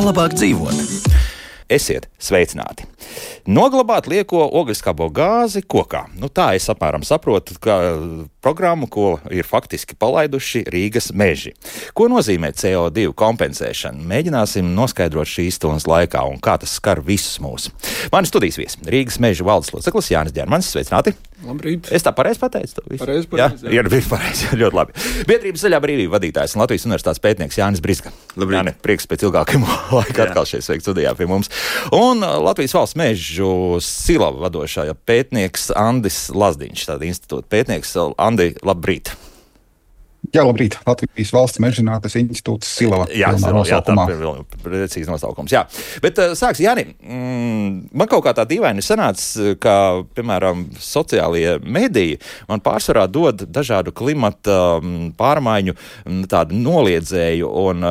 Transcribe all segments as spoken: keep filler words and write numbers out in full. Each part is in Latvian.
labāk dzīvot. Esiet sveicināti! Noglabāt lieko ogleskābo gāzi kokā. Nu, tā es apmēram saprotu, ka programmu, ko ir faktiski palaiduši Rīgas meži. Ko nozīmē C O divi kompensēšana? Mēģināsim noskaidrot šīs stundas laikā un kā tas skar visus mūs. Mani studijas viesi Rīgas meža valdes loceklis Jānis Ģermanis. Sveicināti! Labrīt! Es tā pareizi pateicu? Pareizi, pareizi. Jā, jā, pareizi. Ļoti labi. Biedrības Zaļā brīvība vadītājs un Latvijas universitātes pētnieks Jānis Brizga. Labrīt! Jāni, prieks pēc ilgākiem laika atkal šeit sveikt studijā pie mums. Un Latvijas valsts mežu Silava vadošā pētnieks Andis Lazdiņš, tāda institūta pētnieks. Andi, labrīt! Jā, labrīt. Latvijas valsts mežzinātnes institūts Silava. Jā, Silava, jā, tā ir vēl precīzi nosaukums. Jā. Bet sāks, Jāni, mm, man kaut kā tā dīvaini sanāca, ka, piemēram, sociālie mediji man pārsvarā dod dažādu klimata pārmaiņu tādu noliedzēju un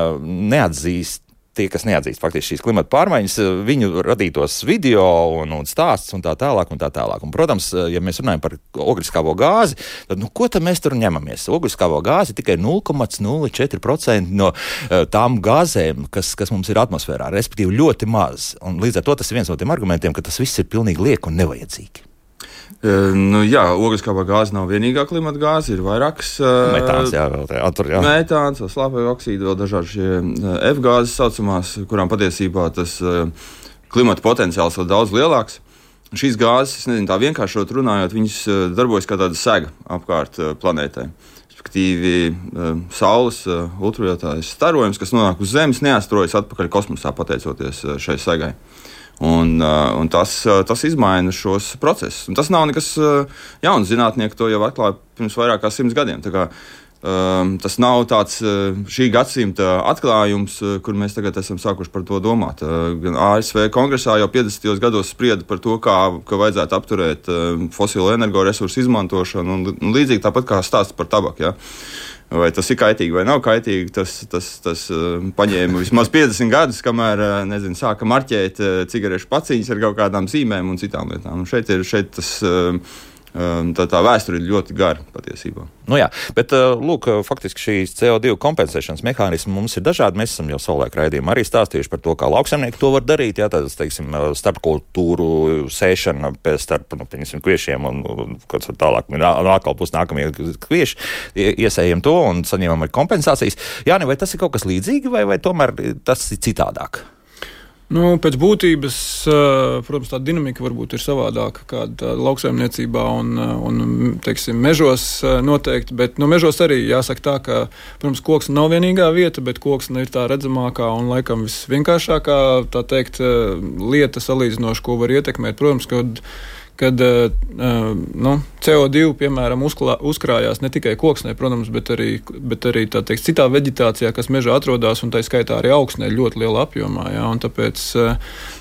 neatzīst. Tie, kas neatzīst faktiski šīs klimata pārmaiņas, viņu radītos video un, un stāsts un tā tālāk un tā tālāk. Un, protams, ja mēs runājam par ogleskābo gāzi, tad nu, ko tad mēs tur ņemamies? Ogleskābo gāzi tikai nulle komats nulle četri procenti no uh, tām gāzēm, kas, kas mums ir atmosfērā, respektīvi ļoti maz. Un līdz ar to tas ir viens no tiem argumentiem, ka tas viss ir pilnīgi lieki un nevajadzīgi. Uh, nu, jā, ogleskābā gāze nav vienīgā klimata gāze, ir vairākas. Uh, metāns, jā, vēl tā, attur, jā. Metāns, slāpekļa oksīdi, vēl dažādi šie uh, F gāzes saucamās, kurām patiesībā tas uh, klimata potenciāls ir daudz lielāks. Šīs gāzes, es nezinu, tā vienkāršot runājot, viņas uh, darbojas kā tāda sega apkārt uh, planētai. Respektīvi, uh, Saules uh, ultravioletārais starojums, kas nonāk uz Zemes, neatstrojas atpakaļ kosmosā pateicoties uh, šai segai. Un, un tas, tas izmaina šos procesus. Un tas nav nekas jauns. Zinātnieki to jau atklāja pirms vairāk kā simts gadiem. Tā kā, um, tas nav tāds šī gadsimta atklājums, kur mēs tagad esam sākuši par to domāt. Gan A S V kongresā jau piecdesmitajos gados sprieda par to, kā ka vajadzētu apturēt fosilo energoresursu izmantošanu, un, un līdzīgi tāpat kā stāsts par tabaku. Ja? Vai tas ir kaitīgi vai nav kaitīgi, tas, tas, tas uh, paņēma vismaz piecdesmit gadus, kamēr uh, nezinu, sāka marķēt uh, cigarešu paciņas ar kaut kādām zīmēm un citām lietām. Un šeit ir šeit tas, uh, tā, tā vēsture ir ļoti gara patiesībā. Nu jā, bet uh, lūk, faktiski šīs C O divi kompensēšanas mehānismi mums ir dažādi. Mēs esam jau savulaik raidījumā arī stāstījuši par to, kā lauksaimnieki to var darīt. Jā, tāds, teiksim, starpkultūru sēšana pēc starp, nu, piemēram, kviešiem un, un kāds tālāk, atkal būs nākamie kvieši, iesējam to un saņemam arī kompensācijas. Jāni, vai tas ir kaut kas līdzīgi vai, vai tomēr tas ir citādāk? Nu, pēc būtības, protams, tā dinamika varbūt ir savādāka kāda lauksaimniecībā un, un teiksim, mežos noteikti, bet no mežos arī jāsaka tā, ka, protams, koks nav vienīgā vieta, bet koks ir tā redzamākā un laikam visvienkāršākā, tā teikt, lieta salīdzinoši, ko var ietekmēt. Protams, kad kad nu, C O divi, piemēram, uzklā, uzkrājās ne tikai koksnē, protams, bet arī, bet arī tā teikt, citā veģetācijā, kas mežā atrodas, un tā skaitā arī augsnē ļoti lielā apjomā. Jā, un tāpēc,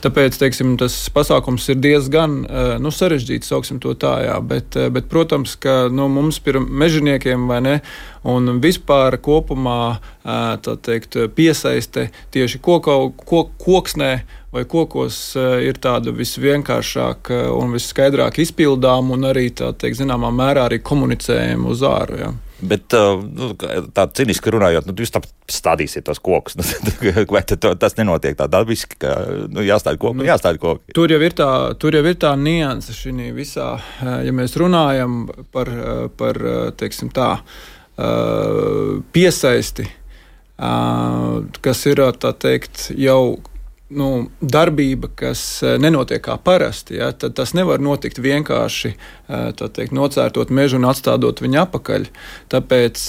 tāpēc teiksim, tas pasākums ir diezgan nu, sarežģīts, sauksim to tā, jā, bet, bet protams, ka nu, mums ir mežoniekiem vai ne, un vispār kopumā tā teikt, piesaiste tieši koka, kok, koksnē vai kokos ir tāda visvienkāršāka un visskaidrāk izpildām un arī tā teikt, zināmā mērā arī komunicējam uz āru. Jā. Bet nu, tā ciniski runājot, nu, jūs tā stādīsiet tos kokus, vai tas nenotiek tā dabiski, ka nu, jāstāda koku, nu, jāstāda koku? Tur jau ir tā, tur jau ir tā nianse šī visā, ja mēs runājam par, par teiksim tā, piesaisti, kas ir tā teikt jau nu, darbība, kas nenotiek kā parasti, ja, tad tas nevar notikt vienkārši tā teikt, nocērtot mežu un atstādot viņu apakaļ. Tāpēc,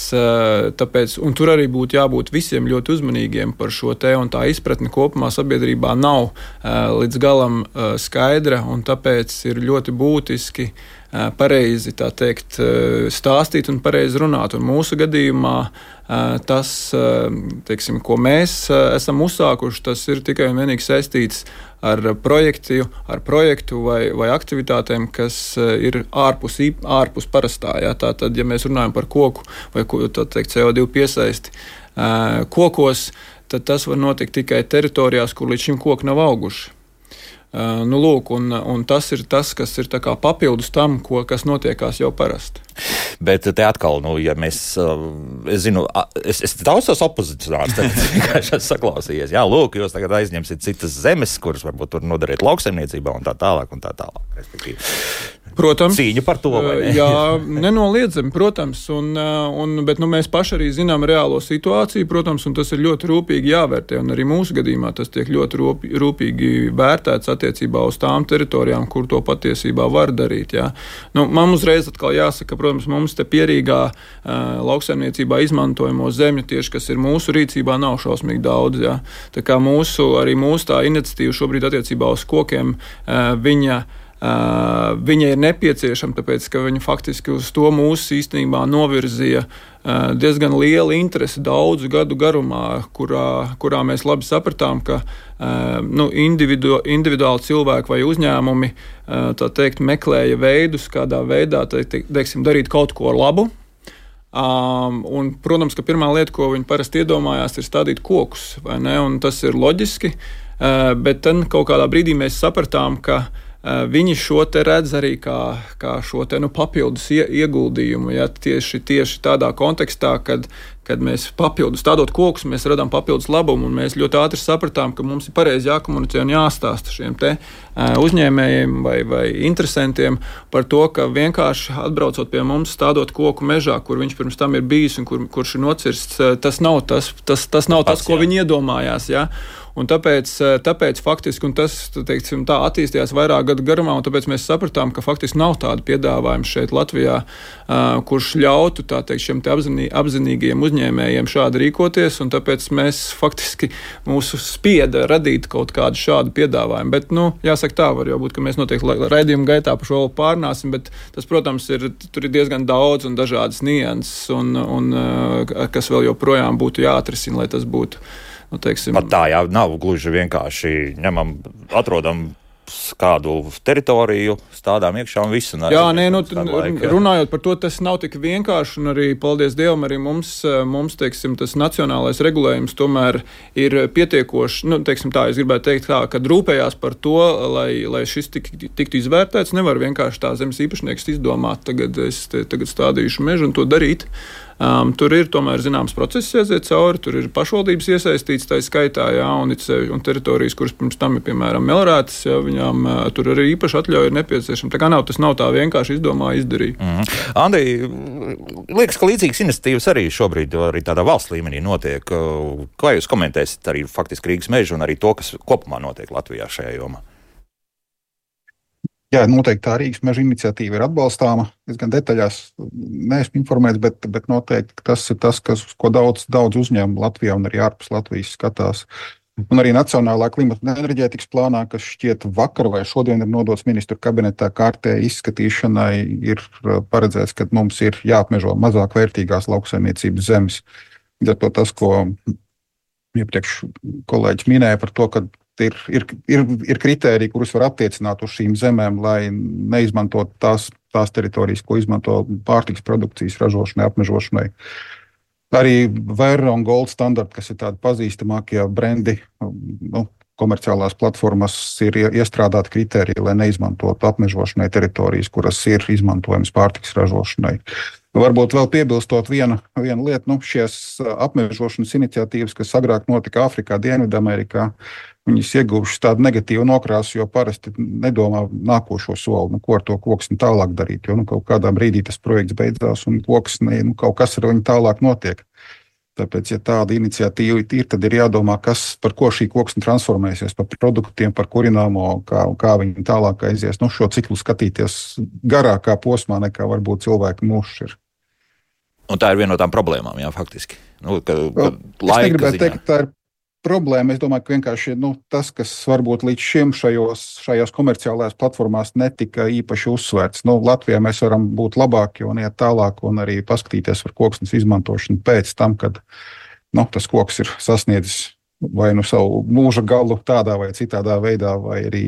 tāpēc, un tur arī būtu jābūt visiem ļoti uzmanīgiem par šo te, un tā izpratne kopumā sabiedrībā nav līdz galam skaidra, un tāpēc ir ļoti būtiski pareizi tā teikt, stāstīt un pareizi runāt. Un mūsu gadījumā tas, teiksim, ko mēs esam uzsākuši, tas ir tikai un vienīgi saistīts ar projektu, ar projektu vai, vai aktivitātēm, kas ir ārpus, ārpus parastā. Jā. Tātad, ja mēs runājam par koku vai tā teikt, C O divi piesaisti kokos, tad tas var notikt tikai teritorijās, kur līdz šim koki nav auguši. Uh, nu, lūk, un, un tas ir tas, kas ir tā kā papildus tam, ko, kas notiekās jau parasti. Bet te atkal, nu, ja mēs, es zinu, es, es daudz tos opozicionārus tagad vienkārši esmu saklausījies. Jā, lūk, jūs tagad aizņemsiet citas zemes, kuras varbūt tur nodarīt lauksaimniecībā un tā tālāk un tā tālāk, respektīvi. Protams. Cīņa par to, vai ne? Jā, nenoliedzami, protams. Un, un, bet nu, mēs paši arī zinām reālo situāciju, protams, un tas ir ļoti rūpīgi jāvērtē. Un arī mūsu gadījumā tas tiek ļoti rūpīgi vērtēts attiecībā uz tām teritorijām, kur to patiesībā var darīt. Jā. Nu, man uzreiz atkal jāsaka, protams, mums te pierīgā uh, lauksaimniecībā izmantojamo zemju tieši, kas ir mūsu rīcībā, nav šausmīgi daudz. Jā. Tā kā mūsu, arī mūsu tā iniciatīva šobrīd attiecībā uz kokiem, uh, viņa Uh, viņa ir nepieciešama, tāpēc, ka viņa faktiski uz to mūsu īstenībā novirzīja uh, diezgan liela interese daudzu gadu garumā, kurā, kurā mēs labi sapratām, ka uh, nu, individu, individuāli cilvēki vai uzņēmumi uh, tā teikt, meklēja veidus, kādā veidā te, te, teiksim, darīt kaut ko labu. Um, un, protams, ka pirmā lieta, ko viņi parasti iedomājās, ir stādīt kokus, vai ne? Un tas ir loģiski, uh, bet tad kaut kādā brīdī mēs sapratām, ka viņi šo te redz arī kā, kā šo te nu, papildus ieguldījumu. Ja, tieši, tieši tādā kontekstā, kad, kad mēs papildus stādot kokus, mēs radām papildus labumu, un mēs ļoti ātri sapratām, ka mums ir pareizi jākomunicē un jāstāsta šiem te uzņēmējiem vai, vai interesantiem par to, ka vienkārši atbraucot pie mums, stādot koku mežā, kur viņš pirms tam ir bijis un kur, kurš ir nocirsts, tas nav tas, tas, tas, nav tas, tas ko viņi iedomājās. Ja. Un tāpēc, tāpēc faktiski, un tas teiksim, tā attīstījās vairāk gadu garumā, un tāpēc mēs sapratām, ka faktiski nav tāda piedāvājuma šeit Latvijā, uh, kurš ļautu tā teikt, šiem te apzinī, apzinīgiem uzņēmējiem šādi rīkoties, un tāpēc mēs faktiski mūsu spieda radīt kaut kādu šādu piedāvājumu. Bet, nu, jāsaka tā, var jau būt, ka mēs noteikti raidījuma gaitā par šo pārnāsim, bet tas, protams, ir, tur ir diezgan daudz un dažādas nianses, un, un uh, kas vēl joprojām būtu jāatrisina, lai tas būtu. Nu, teiksim, Pat tā jau nav gluži vienkārši ņemam, atrodam kādu teritoriju, stādām iekšā un visu. Jā, nē, nu, laika, runājot par to, tas nav tik vienkārši, un arī, paldies Dievam, arī mums, mums teiksim, tas nacionālais regulējums tomēr ir pietiekoši, nu, teiksim tā, es gribētu teikt tā, kad rūpējās par to, lai, lai šis tik, tiktu izvērtēts, nevar vienkārši tā zemes īpašnieks izdomāt, tagad es te, tagad stādīšu mežu un to darīt. Um, tur ir tomēr zināms process jāiziet cauri, tur ir pašvaldības iesaistīts tā skaitā, jā, un, un teritorijas, kuras pirms tam ir, piemēram, melrētas, jā, viņām uh, tur arī īpaši atļauja ir nepieciešama. Tā kā nav, tas nav tā vienkārši izdomāja, izdarīja. Mm. Andi, liekas, ka līdzīgas iniciatīvas arī šobrīd arī tādā valsts līmenī notiek. Kā jūs komentēsiet arī faktiski Rīgas mežu un arī to, kas kopumā notiek Latvijā šajā jomā? Jā, noteikti tā Rīgas meža iniciatīva ir atbalstāma. Es gan detaļās neesmu informēts, bet, bet noteikti tas ir tas, kas, ko daudz, daudz uzņēmumu Latvijā un arī ārpus Latvijas skatās. Un arī Nacionālā klimata un enerģētikas plānā, kas šķiet vakar vai šodien ir nodots ministru kabinetā kārtē izskatīšanai, ir paredzēts, ka mums ir jāapmežo mazāk vērtīgās lauksaimniecības zemes. Ar to tas, ko iepriekš kolēģis minēja par to, ka Ir, ir, ir, ir kritēriji, kurus var attiecināt uz šīm zemēm, lai neizmantot tās, tās teritorijas, ko izmanto pārtikas produkcijas ražošanai, apmežošanai. Arī Verra un Gold standarti, kas ir tādi pazīstamākie brendi, nu, komerciālās platformas, ir iestrādāti kritēriji, lai neizmantotu apmežošanai teritorijas, kuras ir izmantojamas pārtikas ražošanai. Varbūt vēl piebilstot vienu, vienu lietu, nu, šies apmežošanas iniciatīvas, kas agrāk notika Āfrikā, Dienvidamerikā, viņas ieguvušas tādu negatīvu nokrāsu, jo parasti nedomā nākošo soli, nu, ko ar to koksni tālāk darīt, jo nu, kaut kādā brīdī tas projekts beidzās un koksni, nu, kaut kas ar viņu tālāk notiek. Tāpēc, ja tāda iniciatīva ir, tad ir jādomā, kas, par ko šī koksne transformēsies, par produktiem, par kurināmo, kā, kā viņi tālāk aizies. Nu, šo ciklu skatīties garākā posmā, nekā varbūt cilvēku mūžs ir. Un tā ir viena no tām problēmām, jā, faktiski. Nu, ka, ka es negribētu teikt, ka tā ir problēma. Es domāju, ka vienkārši nu, tas, kas varbūt līdz šim šajos, šajās komerciālajās platformās netika īpaši uzsvērts. Nu, Latvijā mēs varam būt labāki un iet tālāk un arī paskatīties par koksnes izmantošanu pēc tam, kad nu, tas koks ir sasniedzis vai nu savu mūža galu tādā vai citādā veidā, vai arī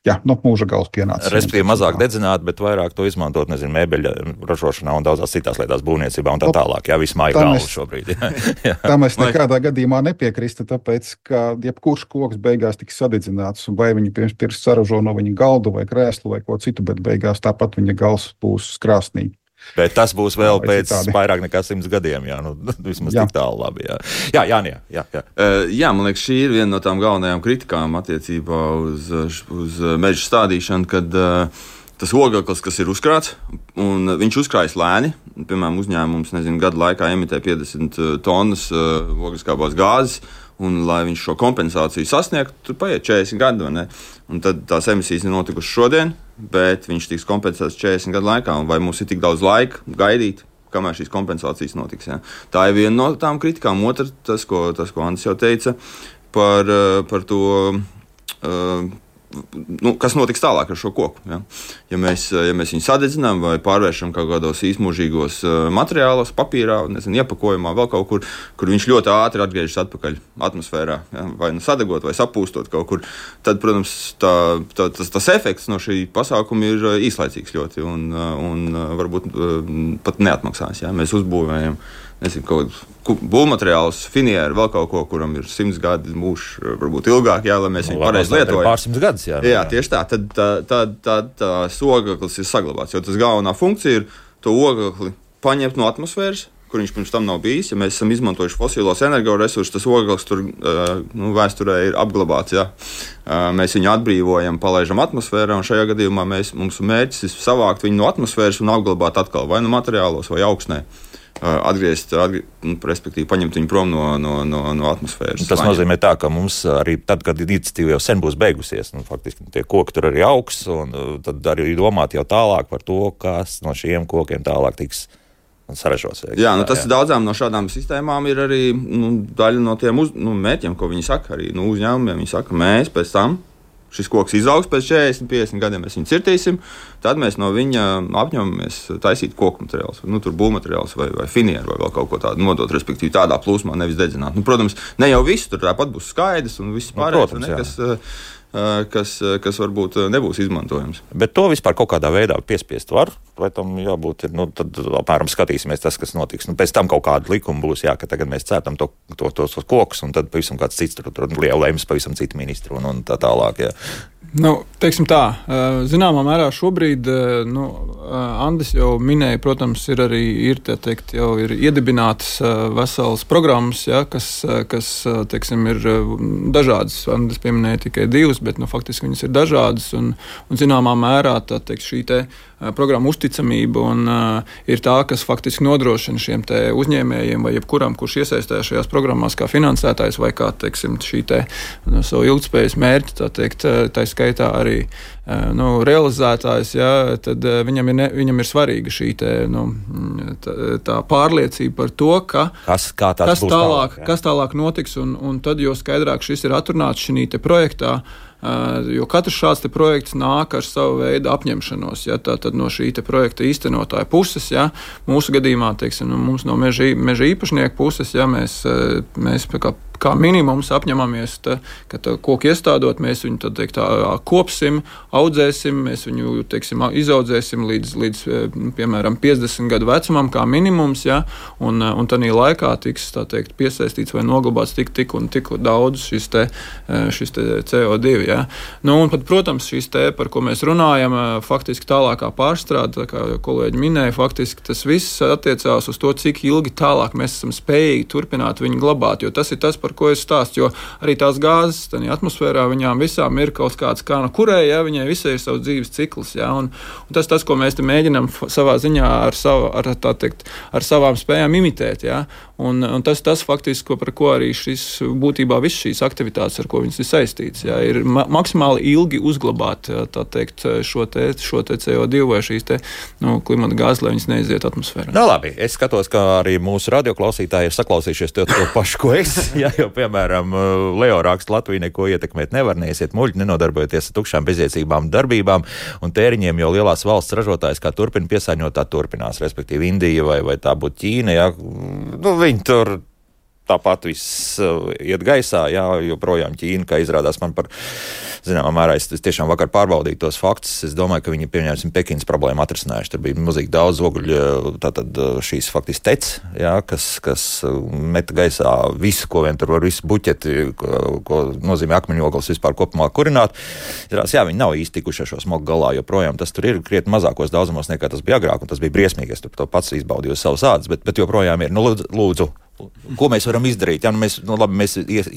jā, nu, mūža gals pienācis. Respektīvi mazāk dedzināt, bet vairāk to izmantot, nezinu, mēbeļa ražošanā un daudzās citās lietās būvniecībā un tā tālāk. Jā, viss māja galvu šobrīd. Jā, jā. Tā mēs nekādā gadījumā nepiekrista, tāpēc, ka jebkurš koks beigās tiks sadedzināts, vai viņi pirms, pirms saražo no viņa galdu vai krēslu vai ko citu, bet beigās tāpat viņa gals būs krāsnī. Bet tas būs vēl vai pēc citādi. vairāk nekā simts gadiem, jā, nu, vismaz Jā. tik tālu labi, jā. Jā, Jānis, jā, jā. Uh, jā, man liekas, šī ir viena no tām galvenajām kritikām attiecībā uz, uz meža stādīšanu, kad uh, tas ogaklis, kas ir uzkrāts, un viņš uzkrājas lēni. Piemēram, uzņēmums, nezinu, gadu laikā emitē piecdesmit tonnas uh, ogliskābās gāzes, un, lai viņš šo kompensāciju sasniegtu, tur paiet četrdesmit gadi. Un tad tās emisijas ir notikušas šodien, bet viņš tiks kompensēts četrdesmit gadu laikā. Un vai mums ir tik daudz laika gaidīt, kamēr šīs kompensācijas notiks? Ja? Tā ir viena no tām kritikām. Otra, tas, ko, tas, ko Andris jau teica par, par to. Uh, Nu, kas notiks tālāk ar šo koku? Ja, ja, mēs, ja mēs viņu sadedzinām vai pārvēršam kaut kādos īsmūžīgos materiālos, papīrā, nezinu, iepakojumā, vēl kaut kur, kur viņš ļoti ātri atgriežas atpakaļ atmosfērā, ja, vai nu sadegot, vai sapūstot kaut kur, tad, protams, tā, tā, tas, tas efekts no šī pasākuma ir īslaicīgs ļoti un, un varbūt pat neatmaksās. Ja. Mēs uzbūvējam nezinu, kaut kādu būvmateriālus, finieru, vēl kaut ko, kuram ir simts gadi mūžs, varbūt ilgāk, jā, lai mēs viņu pareizi lietojam. Pārsimts gadus, jā. Jā, tieši tā. Tad tā, tā, tā, tā ogaklis ir saglabāts, jo tas galvenā funkcija ir to ogakli paņemt no atmosfēras, kur viņš pirms tam nav bijis. Ja mēs esam izmantojuši fosilos energoresursus, tas ogaklis tur nu, vēsturē ir apglabāts. Jā. Mēs viņu atbrīvojam, palaidām atmosfērā, un šajā gadījumā mēs, mums mērķis ir savākt viņu no atmosfēras un apglabāt atkal vai no materiālos vai augsnē. Atgriezt, atgriezt, nu, respektīvi, paņemt viņu prom no, no, no, no atmosfēras. Tas laņem. Nozīmē tā, ka mums arī tad, kad iniciatīva jau sen būs beigusies, nu, faktiski tie koki tur arī augs, un tad arī domāt jau tālāk par to, kas no šiem kokiem tālāk tiks saražots. Jā, nu, tas jā. Daudzām no šādām sistēmām ir arī nu, daļa no tiem uz, nu, mērķiem, ko viņi saka. Arī nu, uzņēmumiem viņi saka, mēs pēc tam. Šis koks izaugs pēc četrdesmit, piecdesmit gadiem, mēs viņu cirtīsim, tad mēs no viņa apņemamies taisīt koku materiālus, nu, tur būvmateriālus vai, vai finieru vai vēl kaut ko tādu nodot, respektīvi tādā plūsmā, nevis dedzināt. Nu, protams, ne jau viss tur tāpat būs skaidrs un viss pārējais, nu, kas, kas, kas varbūt nebūs izmantojams. Bet to vispār kaut kādā veidā piespiest var, vai tam jābūt, nu, tad apmēram skatīsimies tas, kas notiks. Nu, pēc tam kaut kāda likuma būs, jā, ka tagad mēs cērtam to, to, tos kokus, un tad pavisam kāds cits tur, tur lielēms, pavisam citi ministri un, un tā tālāk, jā. Nu, teiksim tā, zināmā mērā šobrīd, nu, Andris jau minēja, protams, ir arī, ir, tā teikt, jau ir iedibinātas veselas programmas, ja, kas, kas, teiksim, ir dažādas. Andris pieminēja tikai divas, bet, nu, faktiski viņas ir dažādas, un, un zināmā mērā, tā teikt, šī te programma uzticamība un uh, ir tā, kas faktiski nodrošina šiem te uzņēmējiem vai jebkuram, kurš iesaistās šajās programmās kā finansētājs vai kā, teiksim, šī te no savu ilgtspējas mērķi, tā teikt, tā skaitā arī uh, nu, realizētājs, jā, tad uh, viņam, ir ne, viņam ir svarīga šī te, nu, tā, tā pārliecība par to, ka kas, kas, būs tālāk, tālāk, kas tālāk notiks, un, un tad, jo skaidrāk šis ir atrunāts šī te projektā, Uh, jo katrs šāds projekts nāk ar savu veidu apņemšanos. Ja, Tātad no šī projekta īstenotāja puses, ja, mūsu gadījumā, teiksim, no mums no meža, meža īpašnieku puses, ja, mēs, mēs kā, kā minimums apņemamies, ta, ka tā koku iestādot, mēs viņu tad, teikt, tā, kopsim, audzēsim, mēs viņu teiksim, izaudzēsim līdz, līdz piemēram piecdesmit gadu vecumam kā minimums, ja, un, un tādā laikā tiks tā teikt, piesaistīts vai noglabāts tik, tik un tik daudz šis, te, šis te C O divi. Ja. Nu, un pat, protams, šīs te, par ko mēs runājam, faktiski tālākā pārstrāde, kā kolēģi minēja, faktiski tas viss attiecās uz to, cik ilgi tālāk mēs esam spējīgi turpināt viņu glabāt, jo tas ir tas, par ko es stāstu, jo arī tās gāzes, tādā atmosfērā, viņām visām ir kaut kāds kā no kurē, ja, viņai visai ir savs dzīves cikls, ja, un, un tas tas, ko mēs te mēģinām savā ziņā ar, savu, ar, tā teikt, ar savām spējām imitēt, ja, un, un tas tas faktiski, par ko arī šis būtībā viss šīs aktivitātes, ar ko viņas ir saistīts, ja, ir maksimāli ilgi uzglabāt tā teikt, šo, te, šo te C O divi vai šīs te, nu, klimata gāzes, lai viņas neiziet atmosfērā. Nu, labi, es skatos, ka arī mūsu radioklausītāji ir saklausījušies to, to pašu, ko es. Ja, jo, piemēram, Leo raksta, Latvija neko ietekmēt nevar, neiesiet muļķi, nenodarbojoties ar tukšām bezjēdzīgām darbībām un tēriņiem, jo lielās valsts ražotājs kā turpina piesārņot, tā turpinās, respektīvi Indija vai, vai tā būtu Ķīna, ja, nu, viņi tur tāpat viss uh, iet gaisā, jā, joprojām Ķīna, kā izrādās man par zināmā mērā, es tiešām vakar pārbaudīju tos faktus. Es domāju, ka viņi pieņemsim Pekinas problēmu atrisinājuši. Tur bija milzīgi daudz oguļu, tātad šīs faktiski tec, jā, kas, kas meta gaisā visu, ko vien tur var, visu buķeti, ko, ko nozīmē akmeņogles vispār kopumā kurināt. Jā, viņi nav īsti tikuši ar šo smogu galā, jo projām tas tur ir krietni mazākos daudzumos nekā tas bija agrāk, un tas bija briesmīgi. Es tur to pats izbaudīju uz savas ādas, bet, bet joprojām ir. Nu, lūdzu, lūdzu, ko mēs varam izdarīt? Ja, nu, mēs, nu, labi, mēs ies,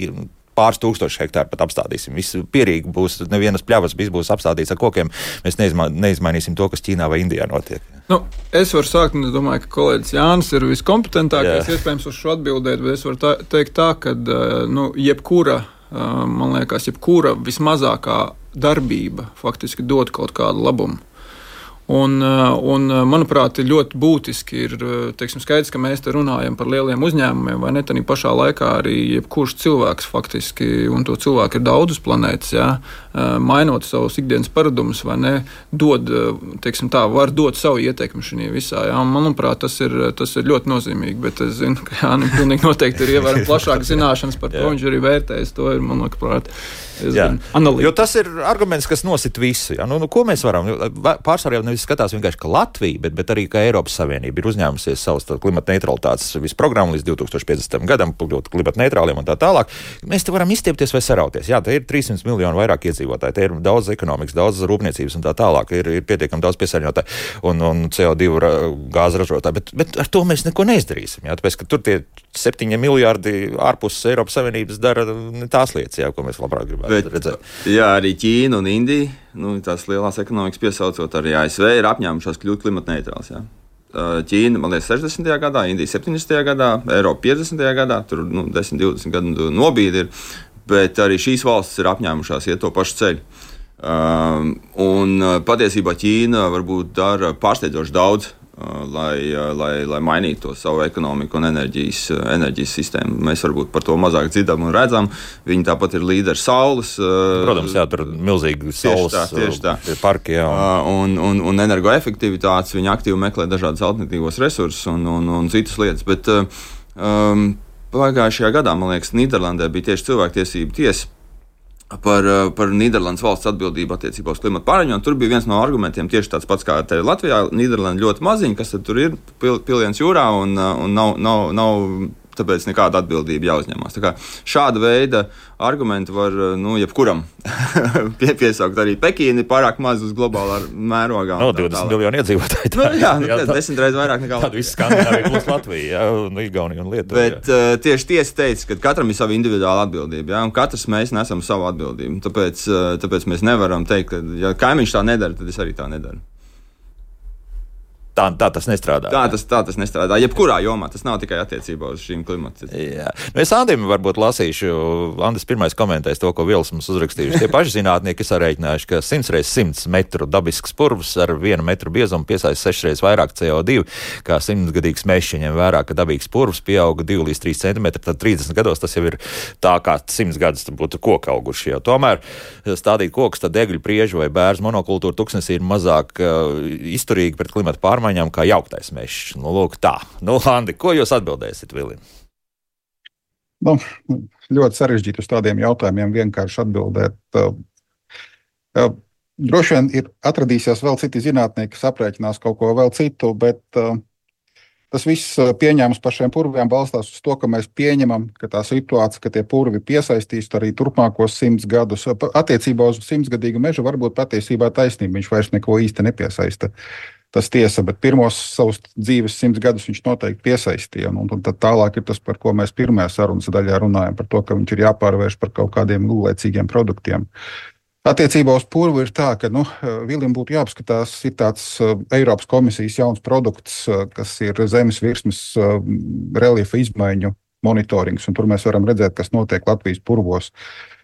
pāris tūkstoši hektāru pat apstādīsim. Viss pierīgi būs, nevienas pļavas, viss būs apstādīts ar kokiem. Mēs neizma, neizmainīsim to, kas Ķīnā vai Indijā notiek. Nu, es varu sākt, un es domāju, ka kolēģis Jānis ir viskompetentākais, iespējams, uz šo atbildēt, bet es varu tā, teikt tā, ka nu, jebkura, man liekas, jebkura vismazākā darbība faktiski dod kaut kādu labumu. Un, un, manuprāt, ir ļoti būtiski, ir teiksim, skaidrs, ka mēs te runājam par lieliem uzņēmumiem, vai ne, tad pašā laikā arī jebkurš cilvēks faktiski, un to cilvēku ir daudz uz planētas, jā, mainot savus ikdienas paradumus, vai ne, dod, teiksim tā, var dot savu ieteikumu šajā visā, jā, un manuprāt, tas ir, tas ir ļoti nozīmīgi, bet es zinu, ka Jānim pilnīgi noteikti ir ievērojami plašākas zināšanas par to, viņš arī vērtējas, to ir, man liekas, analīti. Jo tas ir arguments, kas nosit visu, jā, nu, nu ko mēs varam, pārsvarā jau nevis skatās vienkārši, ka Latvija, bet, bet arī, ka Eiropas Savienība ir uzņēmusies savus klimata neutralitātes visu programmu līdz divtūkstoš piecdesmitajam gadam, kļūt klimata neutrāliem un tā tālāk. Mēs te varam izstiepties vai sarauties. Jā, te ir trīssimti miljoni vairāk iedzīvotāji, te ir daudz ekonomikas, daudz rūpniecības un tā tālāk, ir, ir pietiekami daudz piesārņotāji un, un C O divi gāzu ražotāji, bet, bet ar to mēs neko neizdarīsim, jā, tāpēc, ka tur tie septiņi miljārdi ārpus Eiropas Savienības dara tās lietas, jā, ko mēs labāk gribētu bet, redzēt. Jā, arī Ķīna un Indija, nu, tās lielās ekonomikas piesaucot, arī A S V ir apņēmušās kļūt klimata neitrāls. Jā. Ķīna, man liekas, sešdesmitajā gadā, Indija septiņdesmitajā gadā, Eiropa piecdesmitajā gadā, tur nu, desmit, divdesmit gadu nobīdi ir, bet arī šīs valstis ir apņēmušās iet to pašu ceļu. Um, un patiesībā Ķīna varbūt dara pārsteidzoši daudz, Lai, lai, lai mainītu to savu ekonomiku un enerģijas, enerģijas sistēmu. Mēs varbūt par to mazāk dzirdam un redzam. Viņi tāpat ir līderi saules. Protams, jā, tur milzīgi saules tieši tā, tieši tā. parki. Jā. Un, un, un energoefektivitātes. Viņi aktīvi meklē dažādas alternatīvos resursus un, un, un citas lietas. Bet um, pagājušajā gadā, man liekas, Nīderlandē bija tieši cilvēktiesību tiesa par, par Nīderlandes valsts atbildību attiecībā uz klimatu pārmaiņām. Tur bija viens no argumentiem tieši tāds pats kā te Latvijā. Nīderlanda ļoti maziņa, kas tur ir pil, piliens jūrā un, un nav, nav, nav tāpēc nekāda atbildība jāuzņemās. Tā kā šāda veida argumenti var, nu, jebkuram pie, piesaukt arī Pekīni pārāk maz uz globālā mērogā. No, divdesmit miljoni iedzīvotāji. Nu, jā, nu, jā tā, desmit reizes vairāk nekā Latvijā. Tāda viss Skandināvija plus Latvija, jā, un Igaunija un Lietuva. Bet uh, tieši tiesa teica, ka katram ir sava individuāla atbildība, jā, un katrs mēs nesam savu atbildību. Tāpēc, uh, tāpēc mēs nevaram teikt, ka ja kaimiņš tā nedara, tad es arī tā nedaru. Tā, tā tas nestrādā. Tā tas, tā tas nestrādā. Jebkurā jomā tas nav tikai attiecībā uz šīm klimata. Jā. Nu, es Andim varbūt lasīšu. Andis pirmais komentēs to, ko Vils mums uzrakstījuši. Tie paši zinātnieki ir sarēķinājuši, ka simts reizes simts metru dabisks purvs ar vienu metru biezumu piesaista sešas reizes vairāk C O divi, kā simtgadīgs mežs, ņem vērā, ka dabīgs purvs pieauga divi līdz trīs centimetri, tad trīsdesmit gados tas jau ir tā kā simts gadus būtu koka auguši. Jau. Tomēr stādīt kokus, tad degļu, priežu vai bērzu monokultūru tuksnesī ir mazāk uh, izturīgi pret klimata pārmaiņām kā jauktais mežs. Nu, lūk, tā. Nu, Andi, ko jūs atbildēsiet, Vilim? Nu, ļoti sarežģīti uz tādiem jautājumiem vienkārši atbildēt. Droši vien ir atradīsies vēl citi zinātnieki, kas aprēķinās kaut ko vēl citu, bet tas viss pieņēmums par šiem purviem balstās uz to, ka mēs pieņemam, ka tā situācija, ka tie purvi piesaistīs arī turpmākos simts gadus. Attiecībā uz simtsgadīgu mežu varbūt patiesībā taisnība, viņš vairs neko īsti nepiesaista. Tas tiesa, bet pirmos savus dzīves simts gadus viņš noteikti piesaistīja. Un, un tad tālāk ir tas, par ko mēs pirmajā sarunas daļā runājam, par to, ka viņš ir jāpārvērš par kaut kādiem lūlēcīgiem produktiem. Attiecībā uz purvu ir tā, ka nu, Vilim būtu jāapskatās, ir tāds Eiropas komisijas jauns produkts, kas ir zemes virsmas reliefa izmaiņu monitorings, un tur mēs varam redzēt, kas notiek Latvijas purvos.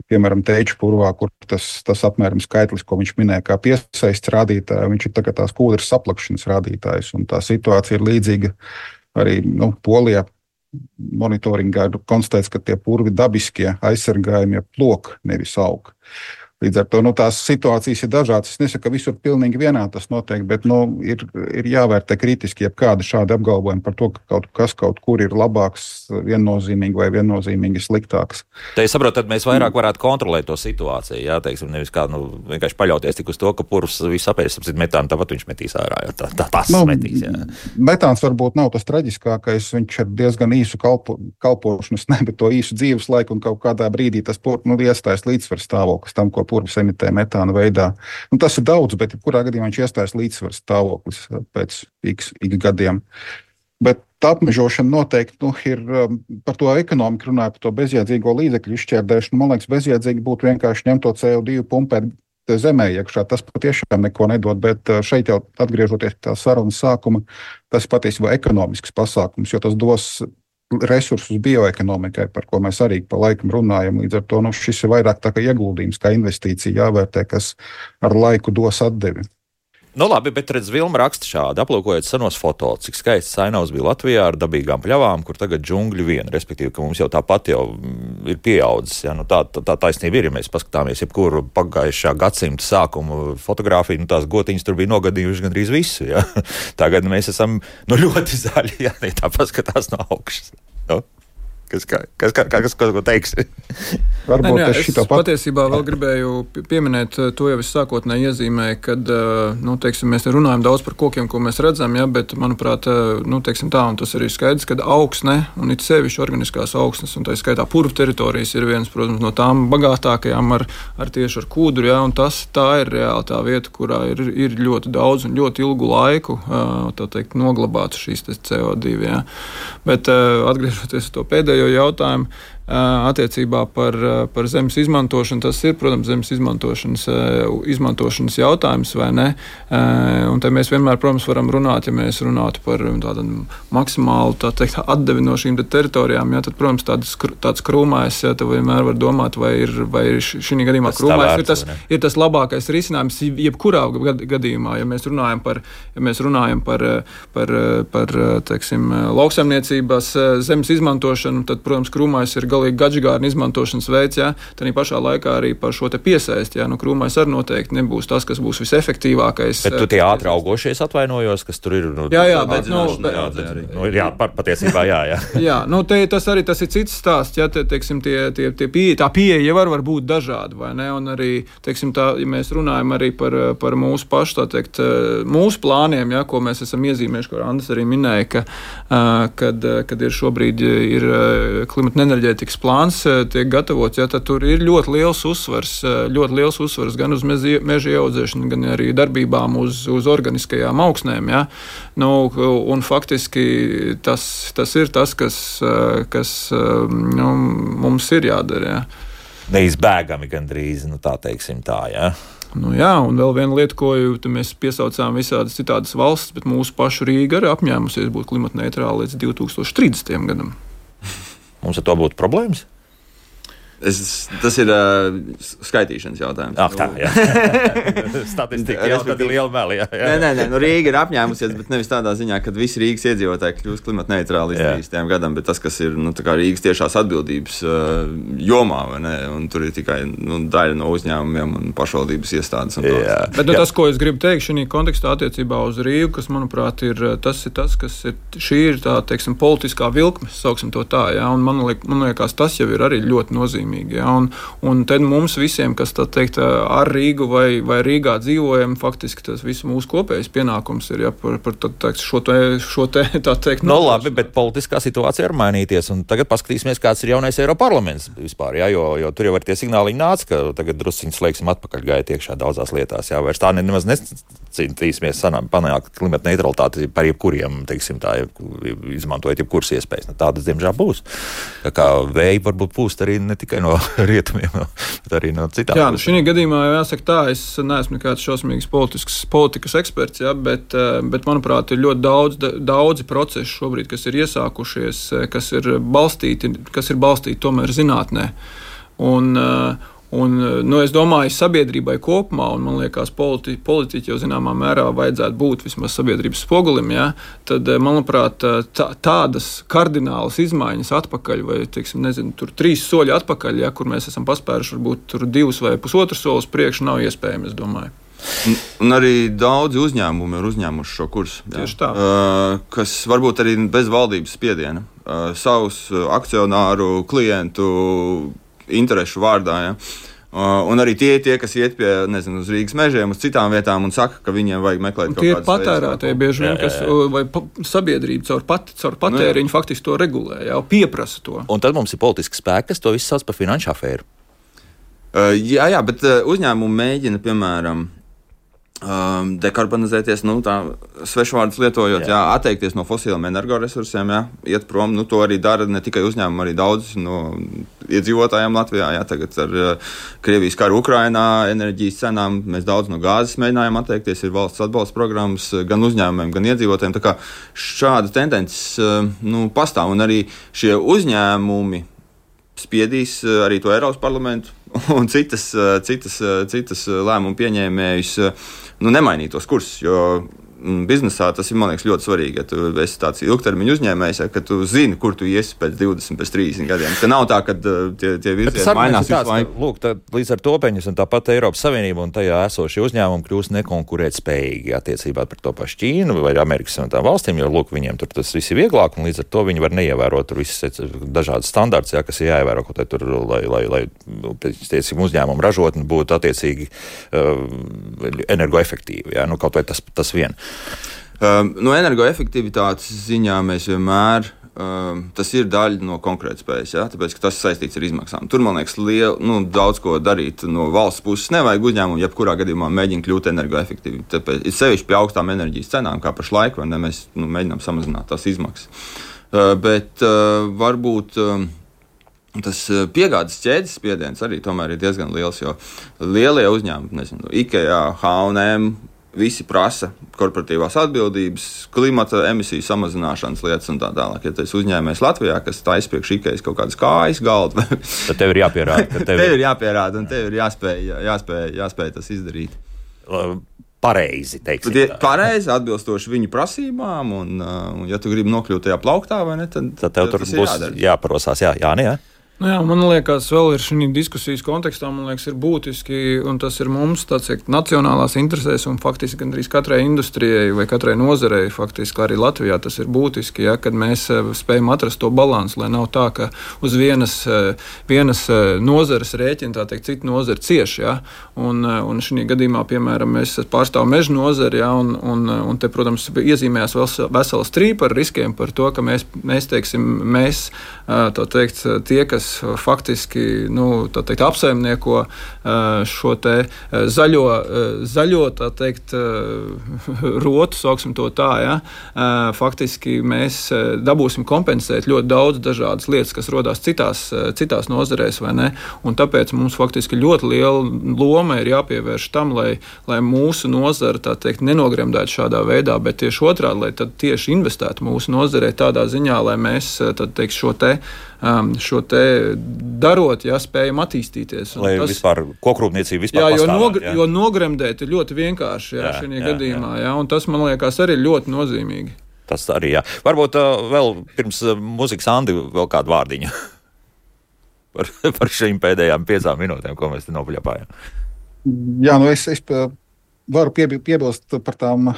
Piemēram, Teiču purvā, kur tas, tas apmēram skaitlis, ko viņš minēja, kā piesaists rādītāji, viņš ir tagad tās kūdras saplakšanas rādītājs, un tā situācija ir līdzīga arī nu, Polijā. Monitoringā ir konstatēts, ka tie purvi dabiskie aizsargājumie plok nevis aug. Līdz ar to nu, tās situācijas ir dažādas. Es nesaku, ka visur pilnīgi vienā tas notiek, bet nu, ir, ir jāvērtē kritiski jebkādi šādi apgalvojumi par to, ka kaut kas kaut kur ir labāks, viennozīmīgi vai viennozīmīgi sliktāks. Te es saprotu, tad mēs vairāk varētu kontrolēt to situāciju. Jā, teiksim, nevis kā nu, vienkārši paļauties tik uz to, ka purvs visu apēs, apsit metānu, tāpat viņš metīs ārā. Jā, tā, tā, tas nu, metīs. Jā. Metāns varbūt nav tas traģiskākais. Viņš ir diezgan īsu kalpo, kalpošanas, ne, bet to īsu dzīves laiku un kaut kādā brīdī tas pur, nu, iestājas līdzsvars stāvoklis tam, ko purvs emitē metāna veidā. Nu, tas ir daudz, bet kurā gadījumā viņš iestājas līdzsvars stāvoklis pēc x, x gadiem. Bet tā apmežošana noteikti nu, ir par to ekonomiku runāja, par to bezjēdzīgo līdzekļu izšķērdēšanu. Man liekas, bezjēdzīgi būtu vienkārši ņemt to C O divi pumpēt zemē iekšā. Tas patiešām neko nedod, bet šeit jau atgriežoties pie tā sarunas sākuma, tas patiesībā ekonomisks pasākums, jo tas dos resursus bioekonomikai, par ko mēs arī pa laikam runājam. Līdz ar to nu, šis ir vairāk tā kā ieguldījums, kā investīcija jāvērtē, kas ar laiku dos atdevi. Nu labi, bet redz, Vilma raksta šādi, aplūkojot senos fotos, cik skaists ainavs bija Latvijā ar dabīgām pļavām, kur tagad džungļi vien, respektīvi, ka mums jau tāpat jau ir pieaudzis. Ja? Nu, tā, tā, tā taisnība ir, ja mēs paskatāmies jebkuru pagājušā gadsimta sākumu fotogrāfiju, nu tās gotiņas tur bija nogadījuši gandrīz visu. Ja? Tagad mēs esam nu, ļoti zaļi, ja tā paskatās no augšas. No? Kas, kas, kas, kas, kas ko teiksi? Varbūt ne, jā, es šito pat... patiesībā vēl gribēju pieminēt, to jau es sākotnēji iezīmēju, kad, nu, teiksim, mēs runājam daudz par kokiem, ko mēs redzam, ja, bet, manuprāt, nu, teiksim tā, un tas arī skaidrs, kad augsne, un it sevišķi organiskās augsnes, un tā skaitā purvu teritorijas ir viens, protams, no tām bagātākajām ar, ar tieši ar kūdru, ja, un tas tā ir reāli tā vieta, kurā ir, ir ļoti daudz un ļoti ilgu laiku, tā teikt, noglabāts šīs C O divi, ja. Bet atgriežoties to pēdējo jautājumu attiecībā par, par zemes izmantošanu. Tas ir, protams, zemes izmantošanas, izmantošanas jautājums, vai ne? Un te mēs vienmēr, protams, varam runāt, ja mēs runātu par tādu maksimālu, tā teikt, atdevi no šīm teritorijām, ja, tad, protams, tāds, tāds krūmājs, ja, tad vienmēr var domāt, vai ir, vai ir šī gadījumā tas krūmājs ir tas, ir tas labākais risinājums jebkurā gadījumā, ja mēs runājam par, ja mēs runājam par, par, par teiksim, lauksaimniecības zemes izmantošanu, tad, protams, krūmājs ir galīgi gadžigārna izmantošanas veids, ja, tad pašā laikā arī par šo te piesaisti, ja, nu krūmais arī noteikti nebūs tas, kas būs visefektīvākais. Bet tu tie ātri augošies atvainojos, kas tur ir? Nu, jā, jā, bet, nu, bet, jā, bet, nu, jā, patiesībā jā, jā. jā, nu, te, tas arī tas ir cits stāsts, ja, te, teiksim, tie, tie, tie pieeja, tā pieeja var, var būt dažāda, vai ne, un arī, teiksim, tā, ja mēs runājam arī par, par mūsu pašu, tā teikt, mūsu plāniem, ja, ko mēs esam iezīmējuši, ko Andris arī minēja, ka, kad, kad ir šobrīd ir klimata un enerģētika plāns tiek gatavots, ja, tad tur ir ļoti liels uzsvars, ļoti liels uzsvars gan uz meža ieaudzēšanu, gan arī darbībām uz, uz organiskajām augsnēm. Ja. Nu, un faktiski tas, tas ir tas, kas, kas nu, mums ir jādara. Ja. Neizbēgami gandrīz, nu tā teiksim tā, jā. Ja. Nu jā, un vēl viena lieta, ko mēs piesaucām visādas citādas valstis, bet mūsu pašu Rīga arī apņēmusies būt klimatneitrāla līdz divi tūkstoši trīsdesmitajam gadam. Mums ar to būtu problēmas? Es, tas ir uh, skaitīšanas jautājums. Ah, tā, jā. Statistika jau tad ir liela meli. Jā, jā. Nē, nē, nē, nu Rīga ir apņēmusies, bet nevis tādā ziņā, ka visi Rīgas iedzīvotāji kļūst klimatneitrāli līdz trīsdesmitajam gadam, bet tas, kas ir nu, Rīgas tiešās atbildības uh, jomā, vai ne? Un tur ir tikai nu, daļa no uzņēmumiem un pašvaldības iestādes. Un jā. Bet nu, tas, ko es gribu teikt šī kontekstā attiecībā uz Rīgu, kas, manuprāt, ir tas, ir tas kas ir, šī ir tā, teiksim, politiskā vilkme, sauksim to tā, jā, un man, liek, man liekas, tas jau ir arī ļoti nozīmīgi. Ja, un, un tad mums visiem, kas tā teikt, ar Rīgu vai, vai Rīgā dzīvojam, faktiski tas viss mūsu kopējais pienākums ir ja, par, par tā, teikt, šo te, šo te tā teikt. No labi, bet politiskā situācija var mainīties, un tagad paskatīsimies, kāds ir jaunais Eiroparlaments vispār, ja, jo, jo tur jau var tie signāliņi nāca, ka tagad drusciņi slēgsim atpakaļ gājiet iekšā daudzās lietās, jā, vairs tā nemaz necīnīsimies panākt klimata neutralitāti par jebkuriem, teiksim tā, izmantojot jebkuras iespējas. Nu, tādas, diemžēl, būs. Tā kā vēji varbūt pūst arī ne tikai no rietumiem, bet arī no citām. Jā, nu šī gadījumā jāsaka tā, es neesmu nekāds šausmīgs politikas eksperts, ja, bet, bet, manuprāt, ir ļoti daudz, daudzi procesi šobrīd, kas ir iesākušies, kas ir balstīti, kas ir balstīti tomēr zinātnē. Un, Un, nu, es domāju, sabiedrībai kopumā, un man liekas, politi, politiķi jau zināmā mērā vajadzētu būt vismaz sabiedrības spogulim, ja? Tad, manuprāt, tā, tādas kardinālas izmaiņas atpakaļ, vai, teiksim, nezinu, tur trīs soļi atpakaļ, ja, kur mēs esam paspēruši varbūt tur divus vai pusotru solis priekš, nav iespējami, es domāju. Un, un arī daudzi uzņēmumi ir uzņēmuši šo kursu. Tieši tā. Uh, kas varbūt arī bez valdības spiediena, uh, savus akcionāru, klientu interešu vārdā. Ja? Uh, un arī tie, tie, kas iet pie, nezinu, uz Rīgas mežiem, uz citām vietām un saka, ka viņiem vajag meklēt un kaut kādas veids. Tie ir patērētāji bieži vien, kas, vai pa, sabiedrība caur, pat, caur patēriņu nu, faktiski to regulē, jau pieprasa to. Un tad mums ir politiski spēki, kas to visu sauc par finanšu afēru. Uh, jā, jā, bet uh, uzņēmumi mēģina, piemēram, Um, dekarbonizēties, nu, tā svešvārdus lietojot, jā. Jā, atteikties no fosiliem energoresursiem, jā, iet prom. Nu, to arī dara ne tikai uzņēmumi, arī daudz no iedzīvotājiem Latvijā. Jā, tagad ar uh, Krievijas karu Ukrainā, enerģijas cenām mēs daudz no gāzes mēģinājām atteikties. Ir valsts atbalsta programmas gan uzņēmumiem, gan iedzīvotājiem. Tā kā šāda tendences uh, nu, pastāv, un arī šie uzņēmumi spiedīs uh, arī to Eiropas parlamentu un citas, uh, citas, uh, citas lēmumu pieņēmējus nu, nemainīt tos kursus, jo biznesā tas ir, man liekas, ļoti svarīgi. Ja tu esi tāds ilgtermiņa uzņēmējs, ja, ka tu zini, kur tu iesi pēc divdesmit, pēc trīsdesmit gadiem. Ka nav tā, ka tie, tie virzieni mainās visu laiku. Lūk, tā, līdz ar to peņas un tāpat Eiropas Savienība un tajā esošie uzņēmumi kļūst nekonkurēt spējīgi attiecībā par to pašu Ķīnu vai Amerikas un tām valstīm, jo, lūk, viņiem tur tas viss ir vieglāk un līdz ar to viņi var neievērot tur visas dažādas standarts, ja, kas ir jāievēro, kaut tur, lai, lai, lai teicim, uzņēmumu ražotni būtu attiecīgi uh, energoefektīvi, ja, nu, kaut vai tas, tas vien. Um, no energoefektivitātes ziņā mēs vienmēr, um, tas ir daļa no konkurētspējas, ja? Tāpēc, ka tas saistīts ar izmaksām. Tur, man liekas, liel, nu, daudz ko darīt no valsts puses. Nevajag uzņēmumu, jebkurā gadījumā mēģina kļūt energoefektīvi. Tāpēc ir sevišķi pie augstām enerģijas cenām, kā pašlaik, vai ne, mēs nu, mēģinām samazināt tās izmaksas. Uh, bet uh, varbūt um, tas piegādes ķēdes spiediens arī tomēr ir diezgan liels, jo lielie uzņēmumi, nezinu, IKEA, H un M, visi prasa korporatīvās atbildības, klimata emisiju samazināšanas lietas un tā tālāk. Ja tas uzņēmējs Latvijā, kas taisa priekš IKEA kaut kādas kājas galdu, tad tev ir jāpierāda. Tev, tev ir jāpierāda un tev ir jāspēj, jāspēj, jāspēj tas izdarīt. Pareizi, teiksim. Tad, pareizi, atbilstoši viņu prasībām, un, un ja tu gribi nokļūt tajā plauktā, vai ne, tad, tad tev tur būs jāparosās, jā, jā, ne, jā. Nu jā, man liekas, vēl ir šī diskusijas kontekstā, man liekas, ir būtiski, un tas ir mums tāds ir nacionālās interesēs, un faktiski gandrīz katrai industrijai vai katrai nozarei, faktiski arī Latvijā tas ir būtiski, ja, kad mēs spējam atrast to balansu, lai nav tā, ka uz vienas, vienas nozares rēķina, tā teikt, cita nozara cieši, ja, un, un šī gadījumā, piemēram, mēs pārstāvam meža nozari, ja, un, un, un te, protams, iezīmējās vesela strīpa ar riskiem par to, ka mēs, mēs teiksim, mēs, tā teikt, tie, kas faktiski nu, teikt, apsaimnieko šo te zaļo, zaļo tā teikt, rotu, sauksim to tā, ja? Faktiski mēs dabūsim kompensēt ļoti daudz dažādas lietas, kas rodās citās, citās nozarēs, vai ne? Un tāpēc mums faktiski ļoti liela loma ir jāpievērš tam, lai, lai mūsu nozara, tā teikt, nenogremdētu šādā veidā, bet tieši otrādi, lai tad tieši investētu mūsu nozarē tādā ziņā, lai mēs, tad teikt, šo te šo te darot, ja spējam attīstīties. Un lai tas, vispār kokrūpniecība vispār jā, jo, pastāvēt. Nogr, jā, jo nogremdēt ir ļoti vienkārši, jā, šajā gadījumā, jā. Jā, un tas, man liekas, arī ļoti nozīmīgi. Tas arī, jā. Varbūt uh, vēl pirms uh, muzikas Andi vēl kādu vārdiņu par, par šīm pēdējām piecām minūtēm, ko mēs te nopuļapājām. Jā, nu es, es varu piebi, piebilst par tām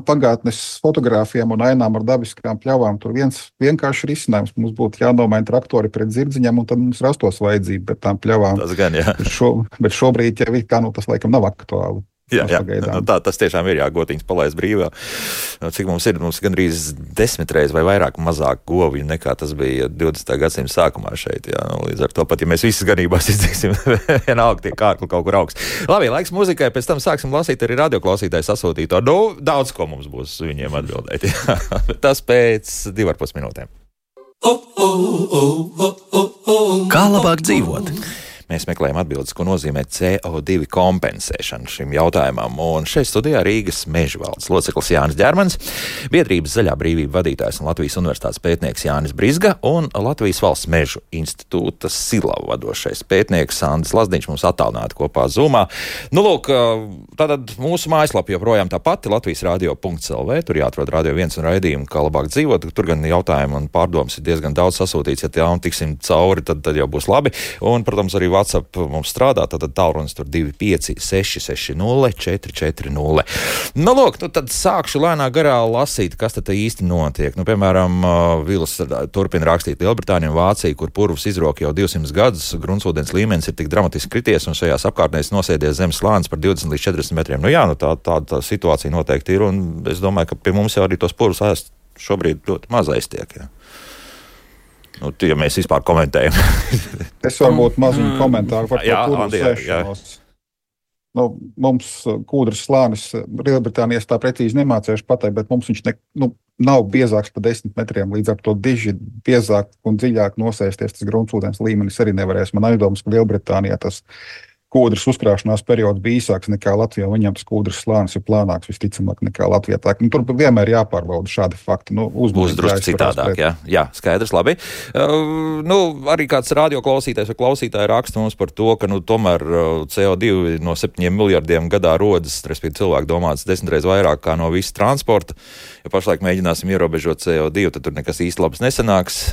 pagātnes fotogrāfijām un ainām ar dabiskām pļavām. Tur viens vienkārši risinājums. Mums būtu jānomaina traktori pret zirdziņiem, un tad mums rastos vajadzība pret tām pļavām. Tas gan, jā. Bet, šo, bet šobrīd, ja kā, nu, tas laikam nav aktuāli. Jā, jā. Nu, tā, tas tiešām ir, jā, gotiņas palaist brīvā. Cik mums ir, mums gandrīz desmit reizes vai vairāk mazāk govju nekā tas bija divdesmitā gadsimta sākumā šeit. Jā. Līdz ar to pat, ja mēs visas ganībās izdzēsim, vienalga tie kārkli kaut kur augsts. Labi, laiks muzikai, pēc tam sāksim lasīt arī radioklausītāju sasūtīto. Nu, daudz ko mums būs viņiem atbildēt. Tas pēc divi ar pus minūtēm. Kā labāk dzīvot? Mēs meklējam atbildes, ko nozīmē C O divi kompensēšana šim jautājumam. Un šeit studijā Rīgas Meža valdes loceklis Jānis Ģermans, biedrības Zaļā brīvība vadītājs un Latvijas universitātes pētnieks Jānis Brizga un Latvijas valsts mežu institūta Silavu vadošais pētnieks Andris Lazdiņš mums attālināti kopā Zoomā. Nu, lūk, tātad mūsu mājaslapa joprojām tā pati, latvijas radio punkts l v, tur jāatrod Radio viens un raidījumu, kā labāk dzīvot. Tur gan jautājumi un pārdomas ir diezgan daudz sasūtīts. Ja tā un tiksim cauri, tad, tad jau būs labi. Un, protams, arī WhatsApp mums strādā, tad tālrunis tur divi pieci seši seši nulle četri četri nulle. Nu, lūk, nu, tad sākšu lēnā garā lasīt, kas tad īsti notiek. Nu, piemēram, Vils turpina rakstīt Lielbritāniju un Vāciju, kur purvs izroka jau divsimt gadus, gruntsūdens līmenis ir tik dramatiski krities un šajās apkārtnēs nosēdies zemes slānis par divdesmit līdz četrdesmit metriem. Nu jā, nu tā, tā, tā situācija noteikti ir, un es domāju, ka pie mums jau arī tos purvus ēst šobrīd ļoti maz aiztiek. Ja, nu, ja mēs vispār komentējam. Es varbūt maziņu komentāru par to purvu sēšanos. Nu, mums kūdras slānis Lielbritānijas tā precīzi nemācējuši pateikt, bet mums viņš ne, nu, nav biezāks par desmit metriem, līdz ar to diži biezāk un dziļāk nosēsties. Tas gruntsūdens līmenis arī nevarēs. Man aizdomas, ka Lielbritānijā tas kūdras uzkrāšanās periods bija īsāks nekā Latvijā, un viņam tas kūdras slānis ir plānāks visticamāk nekā Latvijā. Tā, nu, tur vienmēr jāpārbauda šādi fakti. Nu, Būs drusku citādāk, jā. Jā, skaidrs, labi. Uh, nu, arī kāds radio klausītājs vai klausītāji raksta mums par to, ka, nu, tomēr C O divi no septiņiem miljardiem gadā rodas, respektīvi cilvēki domāts desmitreiz vairāk kā no visa transporta. Ja pašlaik mēģināsim ierobežot C O divi, tad tur nekas īsti labs nesanāks.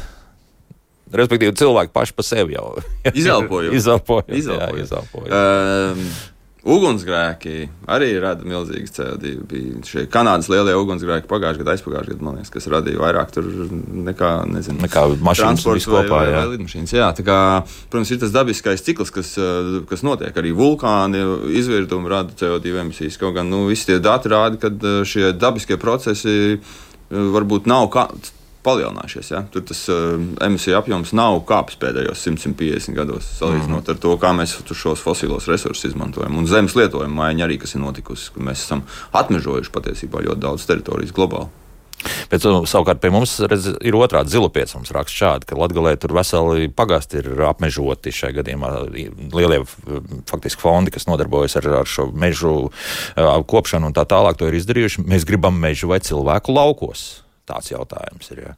Respektīvi, cilvēki paši pa sevi jau izelpoju. izelpoju, jā, izelpoju. Um, ugunsgrēki arī rada milzīgas C O divi. Bija šie Kanādas lielie ugunsgrēki pagājušajā gadā, aizpagājušajā gadā, man liekas, kas radīja vairāk tur nekā, nezinu, nekā mašīnas viskopā, vai, jā. vai lidmašīnas. Jā, tā kā, protams, ir tas dabiskais cikls, kas, kas notiek. Arī vulkāni izvirdumi rada C O divi emisijas. Kaut gan, nu, visi tie dati rāda, ka šie dabiskie procesi varbūt nav kā palielinājušies. Ja? Tur tas uh, emisiju apjoms nav kāpis pēdējos simt līdz piecdesmit gados, salīdzinot mm. ar to, kā mēs šos fosilos resursus izmantojam. Un zemes lietojuma maiņa arī, kas ir notikusi, ka mēs esam atmežojuši patiesībā ļoti daudz teritorijas globāli. Bet savukārt pie mums redz, ir otrādi Zilupiec mums raksta šādi, ka Latgalē tur veseli pagasti ir apmežoti šajā gadījumā. Lielie faktiski fondi, kas nodarbojas ar, ar šo mežu kopšanu un tā tālāk, to ir izdarījuši. Mēs gribam mežu vai cilvēku laukos. Tāds jautājums ir, jā.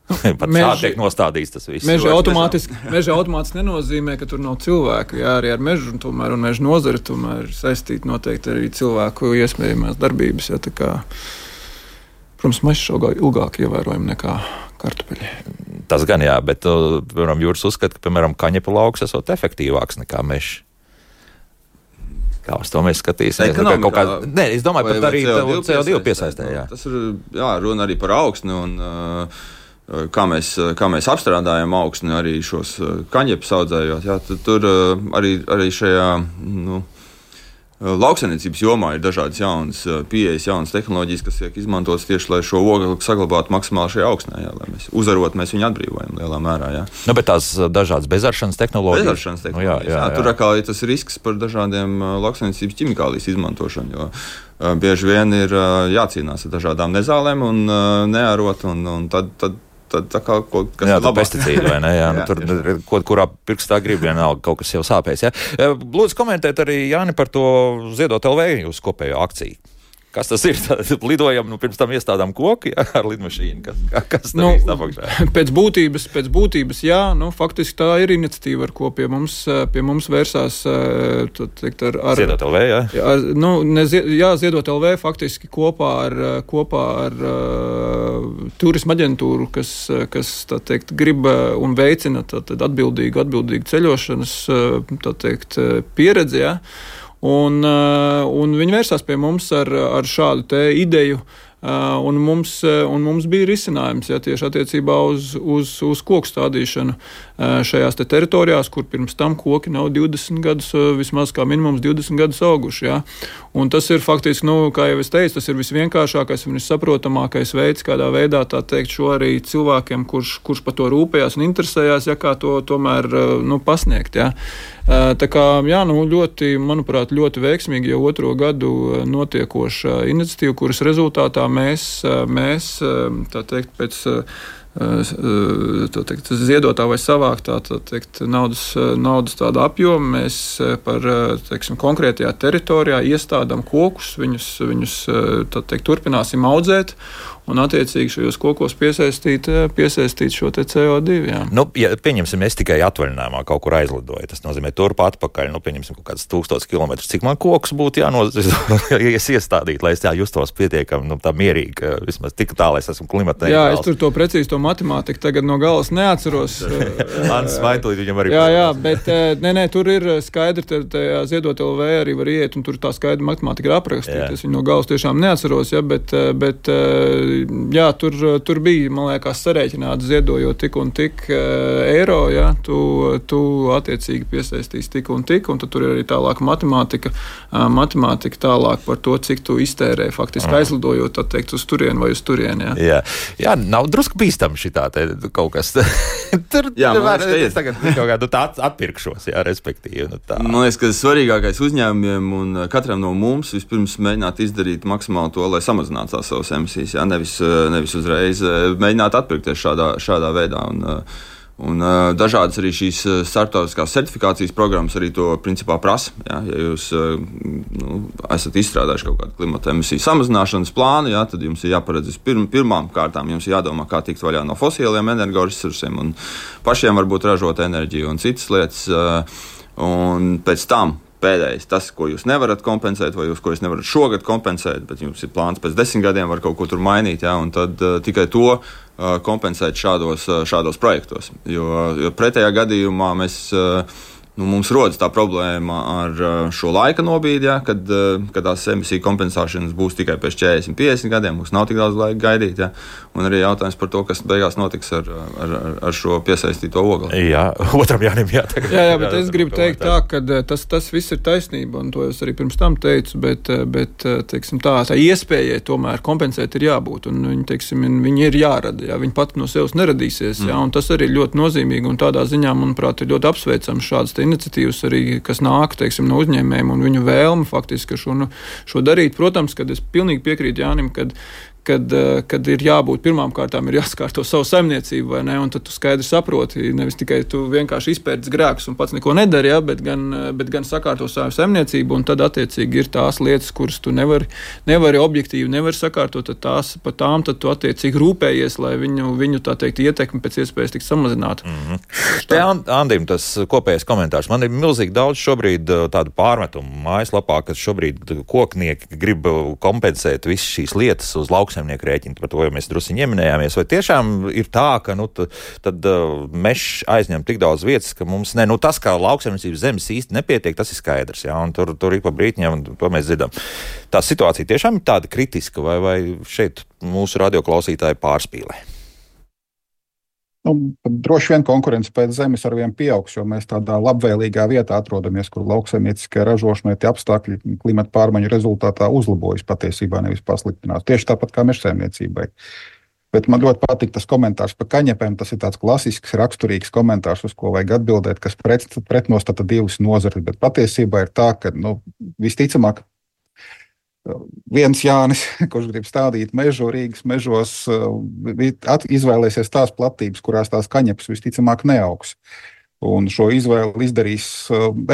Pat Meži, šādi tiek nostādīts tas viss. Meža automātiski, meža automātiski nenozīmē, ka tur nav cilvēku. Jā, arī ar mežu un, tomēr, un meža nozari tomēr saistīti noteikti arī cilvēku iespējamās darbības. Jā, tā kā, protams, mežs ilgāk ievērojami nekā kartupeļi. Tas gan jā, bet, piemēram, Jūras uzskata, ka, piemēram, kaņepa lauks esot efektīvāks nekā mežs. Kā uz to mēs skatīsimies? Ekonomikā, kā, nē, es domāju, pat arī C O divi piesaistē. Jā. Tas ir, jā, runa arī par augsni un uh, kā, mēs, kā mēs apstrādājam augsni arī šos uh, kaņepes audzējot. Jā, tur uh, arī, arī šajā, nu, lauksaimniecības jomā ir dažādas jaunas pieejas, jaunas tehnoloģijas, kas tiek izmantotas tieši, lai šo ogli saglabātu maksimāli šajā augsnē, jā, lai mēs uzarot, mēs viņu atbrīvojam lielā mērā. Jā. Nu, bet tās dažādas bezaršanas tehnoloģijas. Bezaršanas tehnoloģijas, nu, jā, jā, jā. Jā, tur atkal ir tas risks par dažādiem lauksaimniecības ķimikālijas izmantošanu, jo uh, bieži vien ir uh, jācīnās ar dažādām nezālēm un uh, neārot, un, un tad, tad Tad, tā kā kaut kas jā, ir labāk. Pesticīdi, vai ne? Jā, nu, tur kaut kurā pirkstā grib vienalga kaut kas jau sāpēs. Jā. Lūdzu komentēt arī Jāni par to Ziedot L V jūsu kopējo akciju. Kas tas ir? Lidojam, nu, pirms tam iestādām koku, jā, ar lidmašīnu. Kas, kas nu, pēc būtības, pēc būtības, jā, nu, faktiski tā ir iniciatīva, ar ko pie mums, pie mums vērsās, teikt, ar, ar Ziedot L V, jā? Ar, nu, ne, jā, Ziedot L V faktiski kopā ar, kopā ar uh, turisma aģentūru, kas, kas, tā teikt, grib un veicina tā, tā, atbildīgu, atbildīgu ceļošanas, tā teikt, pieredzi, jā. Un, un viņi vērsās pie mums ar, ar šādu te ideju, un mums, un mums bija risinājums, ja, tieši attiecībā uz, uz, uz koku stādīšanu šajās te teritorijās, kur pirms tam koki nav divdesmit gadus, vismaz kā minimums divdesmit gadus auguši. Ja. Un tas ir faktiski, nu, kā jau es teicu, tas ir visvienkāršākais un vissaprotamākais veids, kādā veidā tā teikt šo arī cilvēkiem, kurš, kurš par to rūpējās un interesējās, ja, kā to tomēr, nu, pasniegt. Ja. Tā kā, jā, nu, ļoti, manuprāt, ļoti veiksmīgi jau otro gadu notiekoša iniciatīva, kuras rezultātā mēs, mēs tā teikt, pēc teikt, ziedotā vai savāktā teikt, naudas, naudas tāda apjoma. Mēs par teiksim, konkrētajā teritorijā iestādām kokus, viņus, viņus teikt, turpināsim audzēt un attiecīgi šajos kokos piesaistīt, piesaistīt šo te C O divi. Jā. Nu, ja, pieņemsim, es tikai atvaļinājumā kaut kur aizlidoju. Tas nozīmē turp atpakaļ, nu, pieņemsim, kaut kāds tūkstotis kilometrus. Cik man kokus būtu jāiestādīt, lai es tā justos pietiekami, nu, tā mierīgi, ka vismaz tik tā, lai es esmu klimata neitrāls. Jā, es tur to precīzi to matemātiku tagad no galas neatceros. Ants Vaitulīt viņam arī. Jā, jā, bet nē, nē, tur ir skaidri, tajā Ziedot L V arī var iet, un tur tā skaidra matemātika ir aprakstīta. Es viņu no galas tiešām neatceros, ja, bet, bet jā, tur, tur bija, man liekas, sarēķināts ziedojot tik un tik eiro, ja, tu, tu attiecīgi piesaistīsi tik un tik, un tad tur ir arī tālāk matemātika, matemātika tālāk par to, cik tu iztērē faktiski mm. aizlidojot, tā teikt, uz turienu vai uz turienu, jā. Jā, jā nav drusku bīstam šitā te kaut kas. Tur, jā, man liekas, ka es tagad kaut kādu tā atpirkšos, jā, respektīvi. Nu, tā. Man liekas, ka svarīgākais uzņēmumiem un katram no mums vispirms mēģināt izdarīt maksimāli to, lai samazinātu tās savas emisijas, jā, nevis, nevis uzreiz mēģināt atpirkties šādā, šādā veidā. Un, un dažādas arī šīs starptautiskās certifikācijas programmas arī to principā prasa. Jā. Ja jūs nu, esat izstrādājuši kaut kādu klimata emisiju samazināšanas plānu, jā, tad jums ir jāparedz pirm, pirmām kārtām, jums ir jādomā, kā tikt vaļā no fosiliem energoresursiem un pašiem varbūt ražot enerģiju un citas lietas. Un pēc tam pēdējais, tas, ko jūs nevarat kompensēt, vai jūs, ko jūs nevarat šogad kompensēt, bet jums ir plāns pēc desmit gadiem var kaut ko tur mainīt, jā, un tad uh, tikai to uh, kompensēt šādos, uh, šādos projektos. Jo, jo pretējā gadījumā mēs, uh, nu, mums rodas tā problēma ar uh, šo laika nobīdi, jā, kad, uh, kad tās emisiju kompensēšanas būs tikai pēc četrdesmit, piecdesmit gadiem, mums nav tik daudz laika gaidīt, jā, un arī jautājums par to, kas beigās notiks ar, ar, ar šo piesaistīto ogli. Jā, otram Jānim jātaka. Jā, jā, bet jā, es gribu teikt tā, ka tas, tas viss ir taisnība, un to es arī pirms tam teicu, bet, bet teiksim, tā, tā iespējai tomēr kompensēt ir jābūt, un viņi, teiksim, viņi ir jārada, jā, viņi pat no sevis neradīsies, jā, un tas arī ļoti nozīmīgi, un tādā ziņā, manuprāt, ir ļoti apsveicams šādas te iniciatīvas arī, kas nāk, teiksim, no uzņēmējiem un viņu vēlme faktiski šo, nu, šo darīt. Protams, kad es pilnīgi piekrītu Jānim, kad Kad, kad ir jābūt pirmām kārtām, ir jāskārto savu saimniecību, vai ne, un tad tu skaidri saproti, nevis tikai tu vienkārši izpērts grēkus un pats neko nedari, ja, bet, gan, bet gan sakārto savu saimniecību, un tad attiecīgi ir tās lietas, kuras tu nevari, nevari objektīvi, nevari sakārtot, tad tās pa tām, tad tu attiecīgi rūpējies, lai viņu, viņu tā teikt, ietekmi pēc iespējas tik samazinātu. Mm-hmm. Te Andim tas kopējais komentārs. Man ir milzīgi daudz šobrīd tādu pārmetumu mājaslapā, ka šobrīd koknieki grib kompensēt visas šīs lietas uz lauks rēķinu, par to jau mēs drusiņi ieminējāmies, vai tiešām ir tā, ka nu, t, tad uh, mežs aizņem tik daudz vietas, ka mums ne, nu tas, kā lauksaimniecības zemes īsti nepietiek, tas ir skaidrs, jā, un tur, tur ir pa brītņiem, un to mēs dzirdam. Tā situācija tiešām ir tāda kritiska, vai, vai šeit mūsu radioklausītāji pārspīlē? Nu, droši vien konkurence pēc zemes arvien pieaugs, jo mēs tādā labvēlīgā vietā atrodamies, kur lauksaimnieciskai ražošanai tie apstākļi klimata pārmaiņu rezultātā uzlabojas patiesībā, nevis pasliktinās. Tieši tāpat kā mežsaimniecībai. Bet man ļoti patīk tas komentārs par kaņepēm. Tas ir tāds klasisks, raksturīgs komentārs, uz ko vajag atbildēt, kas pret, pretnostata divas nozares. Bet patiesībā ir tā, ka nu, visticamāk, viens Jānis, kurš grib stādīt mežu Rīgas mežos, izvēlēsies tās platības, kurās tās kaņepes visticamāk neaugs. Un šo izvēli izdarīs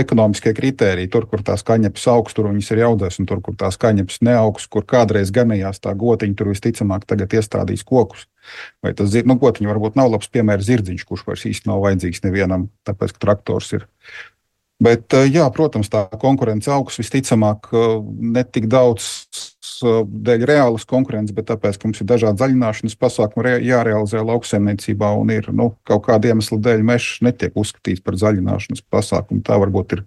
ekonomiskie kritēriji. Tur, kur tās kaņepes augs, tur viņas ir audzēs, un tur, kur tās kaņepes neaugs, kur kādreiz ganījās tā gotiņa, tur visticamāk tagad iestādīs kokus. Vai tas nu, gotiņa varbūt nav labs piemērs zirdziņš, kurš vairs īsti nav vajadzīgs nevienam, tāpēc, ka traktors ir. Bet, jā, protams, tā konkurence augs visticamāk ne tik daudz dēļ reālas konkurences, bet tāpēc, ka mums ir dažādi zaļināšanas pasākumi jārealizē lauksaimniecībā un ir nu, kaut kāda iemesla dēļ mežs netiek uzskatīts par zaļināšanas pasākumu. Tā varbūt ir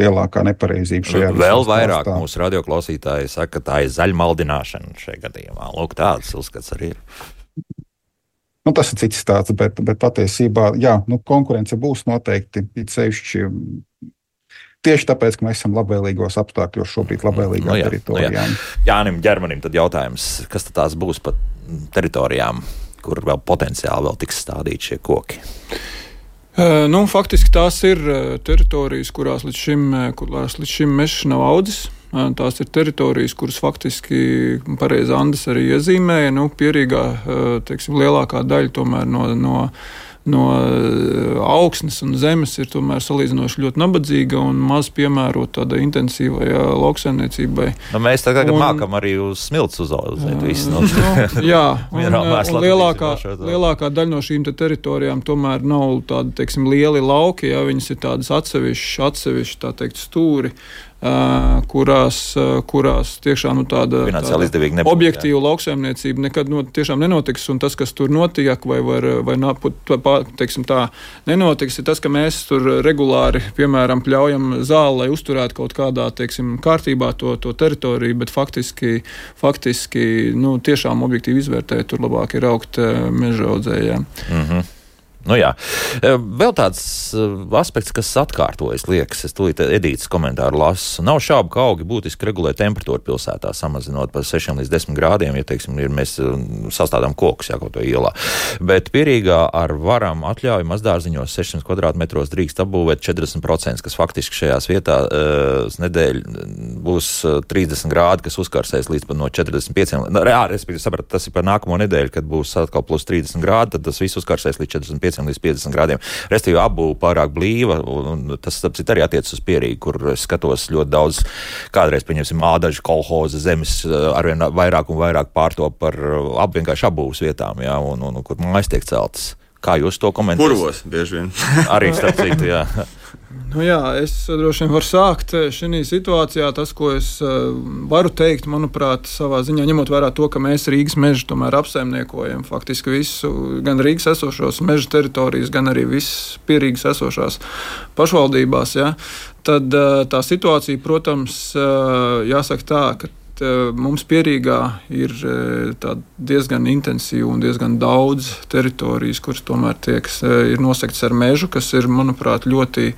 lielākā nepareizība šajā visā. Vēl vairāk mūsu radioklausītāji saka, ka tā ir zaļmaldināšana šajā gadījumā. Lūk, tāds uzskats arī ir. Nu, tas ir cits stāsts, bet, bet patiesībā, jā, nu, konkurence būs noteikti sevišķi tieši tāpēc, ka mēs esam labvēlīgos apstākļos šobrīd labvēlīgā nu, jā, teritorijā. Nu, jā. Jānim Ģermanim tad jautājums, kas tad tās būs pa teritorijām, kur vēl potenciāli vēl tiks stādīti šie koki? Nu, faktiski tās ir teritorijas, kurās līdz šim, kurās līdz šim mežs nav audzis. Tās ir teritorijas, kuras faktiski pareizi Andis arī iezīmēja. Nu, Pierīgā, teiksim, lielākā daļa tomēr no, no no augsnes un zemes ir tomēr salīdzinoši ļoti nabadzīga un maz piemērota tādai intensīvai lauksaimniecībai. Nu, mēs tagad un, mākam arī uz smilts uzaudzēt visu. No, nu, jā, un, un lielākā, lielākā daļa no šīm te teritorijām tomēr nav tādi, teiksim, lieli lauki, ja viņas ir tādas atsevišķi, atsevišķi, tā teikt, stūri, Uh, kurās, uh, kurās tiešām nu, tāda, tāda objektīva lauksaimniecība nekad no, tiešām nenotiks, un tas, kas tur notiek, vai, var, vai nā, teiksim, tā nenotiks, ir tas, ka mēs tur regulāri, piemēram, pļaujam zāli, lai uzturētu kaut kādā, teiksim, kārtībā to, to teritoriju, bet faktiski, faktiski nu, tiešām objektīvi izvērtēt, tur labāk ir augt meža audzējiem. Mhm. Nu jā. Vēl tāds aspekts, kas atkārtojas, liekas, es tūlīt Edītas komentāru lasu. Nav šaubu, ka augi būtiski regulē temperatūru pilsētā, samazinot par sešiem līdz desmit grādiem, ja, teiksim, ir mēs sastādām kokus, jā, kaut to ielā. Bet Pierīgā ar varam atļauju mazdārziņos sešsimt kvadrātmetros drīkst apbūvēt četrdesmit procenti, kas faktiski šajās vietā uh, nedēļ būs trīsdesmit grādi, kas uzkarsēs līdz no četrdesmit pieciem. Jā, respektīvi, saprat, tas ir par nākamo nedēļu, kad būs atkal plus trīsdesmit grādi, tad tas viss uzkarsēs līdz četrdesmit pieciem līdz piecdesmit grādiem. Restīvi apbūve pārāk blīva, un tas arī attiecas uz Pierīgu, kur es skatos ļoti daudz, kādreiz, pieņemsim, ādažu kolhoza zemes arvien vairāk un vairāk pārtop par vienkārši apbūves vietām, jā, un, un, un kur mājas tiek celtas. Kā jūs to komentējat? Purvos, bieži vien. Arī starp citu, jā. Nu jā, es droši vien varu sākt šajā situācijā. Tas, ko es varu teikt, manuprāt, savā ziņā, ņemot vērā to, ka mēs Rīgas mežu tomēr apsaimniekojam faktiski visu, gan Rīgas esošos meža teritorijas, gan arī visas Pierīgas esošās pašvaldībās, ja, tad tā situācija, protams, jāsaka tā, ka mums Pierīgā ir diezgan intensīva un diezgan daudz teritorijas, kuras tomēr tiek, ir nosegtas ar mežu, kas ir, manuprāt, ļoti,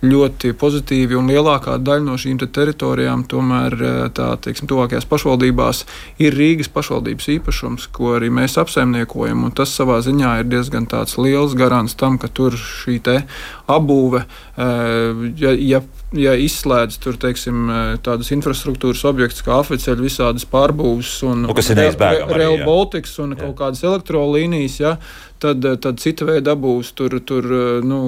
ļoti pozitīvi, un lielākā daļa no šīm te teritorijām tomēr tā, teiksim, tuvākajās pašvaldībās ir Rīgas pašvaldības īpašums, ko arī mēs apsaimniekojam, un tas savā ziņā ir diezgan tāds liels garants tam, ka tur šī te apbūve, ja, ja Ja izslēdz tur, teiksim, tādas infrastruktūras objektus kā afeceļi, visādas pārbūves un nu, Rail Baltics un jā. Kaut kādas elektrolīnijas, ja, tad, tad cita veida apbūves tur, tur nu,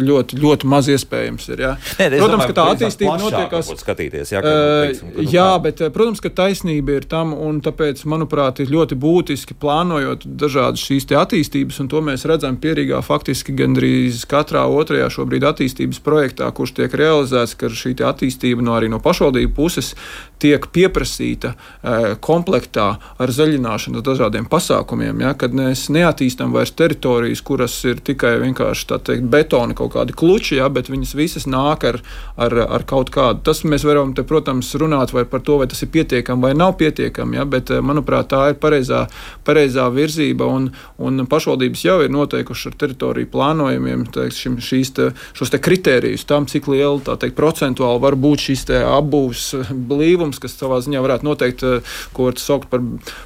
ļoti, ļoti maz iespējams ir. Ja. Nē, protams, domāju, ka tā attīstība notiekās. Skatīties, jā, ka, teiksim, ka, jā, bet, protams, ka taisnība ir tam, un tāpēc, manuprāt, ir ļoti būtiski plānojot dažādas šīs te attīstības, un to mēs redzam Pierīgā faktiski gandrīz katrā otrajā šobrīd attīstības projektā, kurš tiek realizēts, ka šī attīstība no arī no pašvaldību puses tiek pieprasīta e, komplektā ar zaļināšanu dažādiem pasākumiem, ja, kad mēs neattīstam vairs teritorijas, kuras ir tikai vienkārši, tā teikt, betona kaut kādi kluči, ja, bet viņas visas nāk ar, ar, ar kaut kādu. Tas mēs varam te, protams, runāt vai par to, vai tas ir pietiekami vai nav pietiekami, ja, bet, manuprāt, tā ir pareizā, pareizā virzība, un, un pašvaldības jau ir noteikuši ar teritoriju plānojumiem, teiksim, šīs te, šos te kritērijus tam, cik liela, tā teikt, procentuāli var būt šis te apbūves blīvums, kas savā ziņā varētu noteikt, ko var saukt par,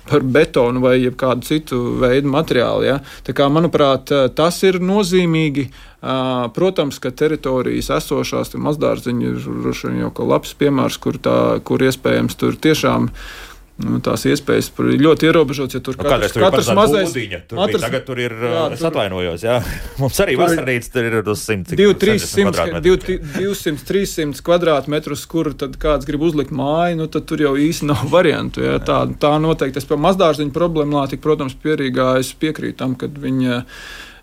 par betonu vai kādu citu veidu materiālu. Ja. Tā kā, manuprāt, tas ir nozīmīgi. Protams, ka teritorijas esošās, mazdārziņi ir jau kā labs piemērs, kur, tā, kur iespējams tur tiešām Nu, tās iespējas ir ļoti ierobežotas, ja tur nu, katrs, tur katrs mazais... Būdiņa, tur matras, tagad tur ir, jā, es atvainojos, jā. Mums arī vasarnīca tur ir uz simt divsimt trīssimt kvadrātmetrus, kur tad kāds grib uzlikt māju, nu tad tur jau īsti nav variantu. Jā. Tā, tā noteikti. Es par mazdārziņu problemātiku, protams, Pierīgā es piekrītu tam, kad viņa...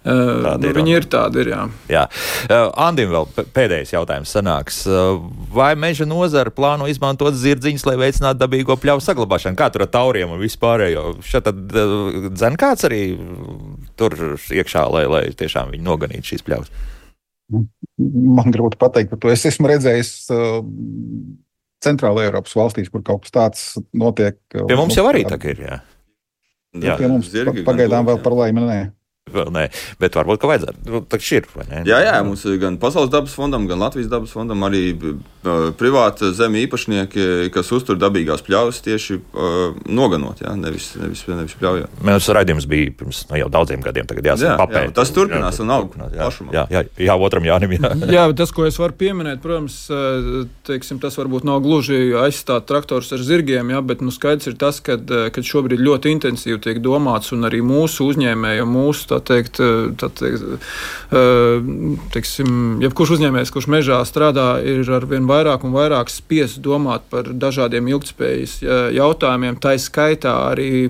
Uh, nu, viņi ir tādi, ir, jā. jā. Uh, Andim vēl pēdējais jautājums sanāks. Uh, vai meža nozara plāno izmantot zirdziņus, lai veicinātu dabīgo pļauju saglabāšanu? Kā tur ar tauriem un vispārējo? Šeit tad uh, dzen kāds arī tur iekšā, lai, lai tiešām viņi noganītu šīs pļaus? Man grūti pateikt par to. Es esmu redzējis uh, Centrāla Eiropas valstīs, kur kaut kas tāds notiek. Pie mums jau arī tā ir, jā. jā. Pie mums zirgi, pagaidām vēl par laimi nē. Vēl nē, bet varbūt, ka vajadzētu. Nu, tā šķir, vai ne? Jā, jā, mums gan Pasaules dabas fondam, gan Latvijas dabas fondam arī privāta zemi īpašnieki, kas uztur dabīgās pļavas, tieši uh, noganot, jā, nevis, nevis, nevis pļaujot. Mēs raidījums bija pirms nu, jau daudziem gadiem, tagad jāsaka papēt. Jā, tas turpinās un aug plašumā. Jā, jā, jā, otram Jānim, jā. Jā, tas, ko es varu pieminēt, protams, teiksim, tas varbūt nav gluži aizstāt traktors ar zirgiem, jā, bet nu, skaidrs ir tas, kad, kad šobrīd ļoti intensīvi tiek domāts un arī mūsu uzņēmēji, mūsu, tā teikt, tā teikt, teiksim, jebkurš uzņēmējs, kurš mežā strādā, ir arvien vairāk un vairāk spiest domāt par dažādiem ilgtspējas jautājumiem, tā skaitā arī,